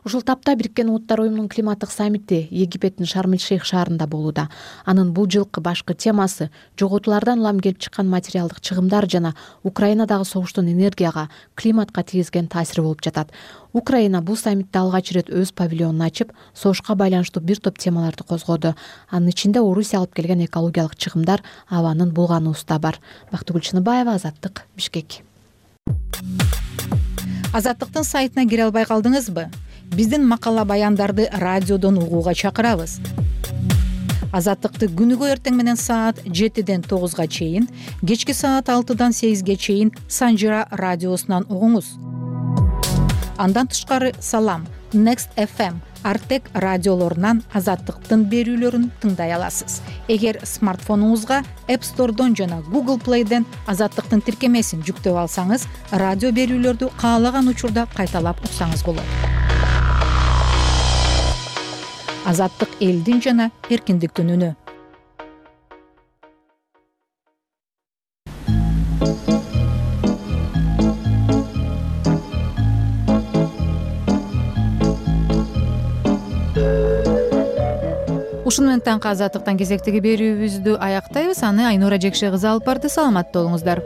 Ушул тапта Бириккен Улуттар уюмунун климаттык саммити Египеттин Шарм-эль-Шейх шаарында болууда. Анын бул жылкы башкы темасы жоготуулардан улам келип чыккан материалдык чыгымдар жана Украинадагы согуштун энергияга, климатка тийгизген таасири болуп жатат. Украина бул саммитте алгач ирет өз павильонун ачып, согушка байланыштуу бир топ темаларды козгоду. Анын ичинде Орусия алып келген экологиялык чыгымдар, абанын булгануусу да бар. Бактыгүл Чыныбаева, Азаттык, Бишкек. Азаттыктын сайтына кире албай калдыңызбы? Биздин макала баяндарды радиодон угууга чакырабыз. Азаттыкты күнүгө эртең менен саат жетиден тогузга чейин, кечки саат алтыдан сегизге чейин Санжира радиосунан угуңуз. Андан тышкары Салам, Next эф эм, Артек радиолорунан Азаттыктын берүүлөрүн тыңдай аласыз. Эгер смартфонуңузга App Store'дон жана Google Play'ден Азаттыктын тиркемесин жүктөп алсаңыз, радио берүүлөрдү каалаган учурда кайталап уксаңыз болот. азаттык элдин жана эркиндиктин үнү. Ушуну менен таңкы азаттыктан кезектеги берүүбүздү аяктайбыз. Аны Айнура Жекше кызы алып барды. Саламатта болуңуздар.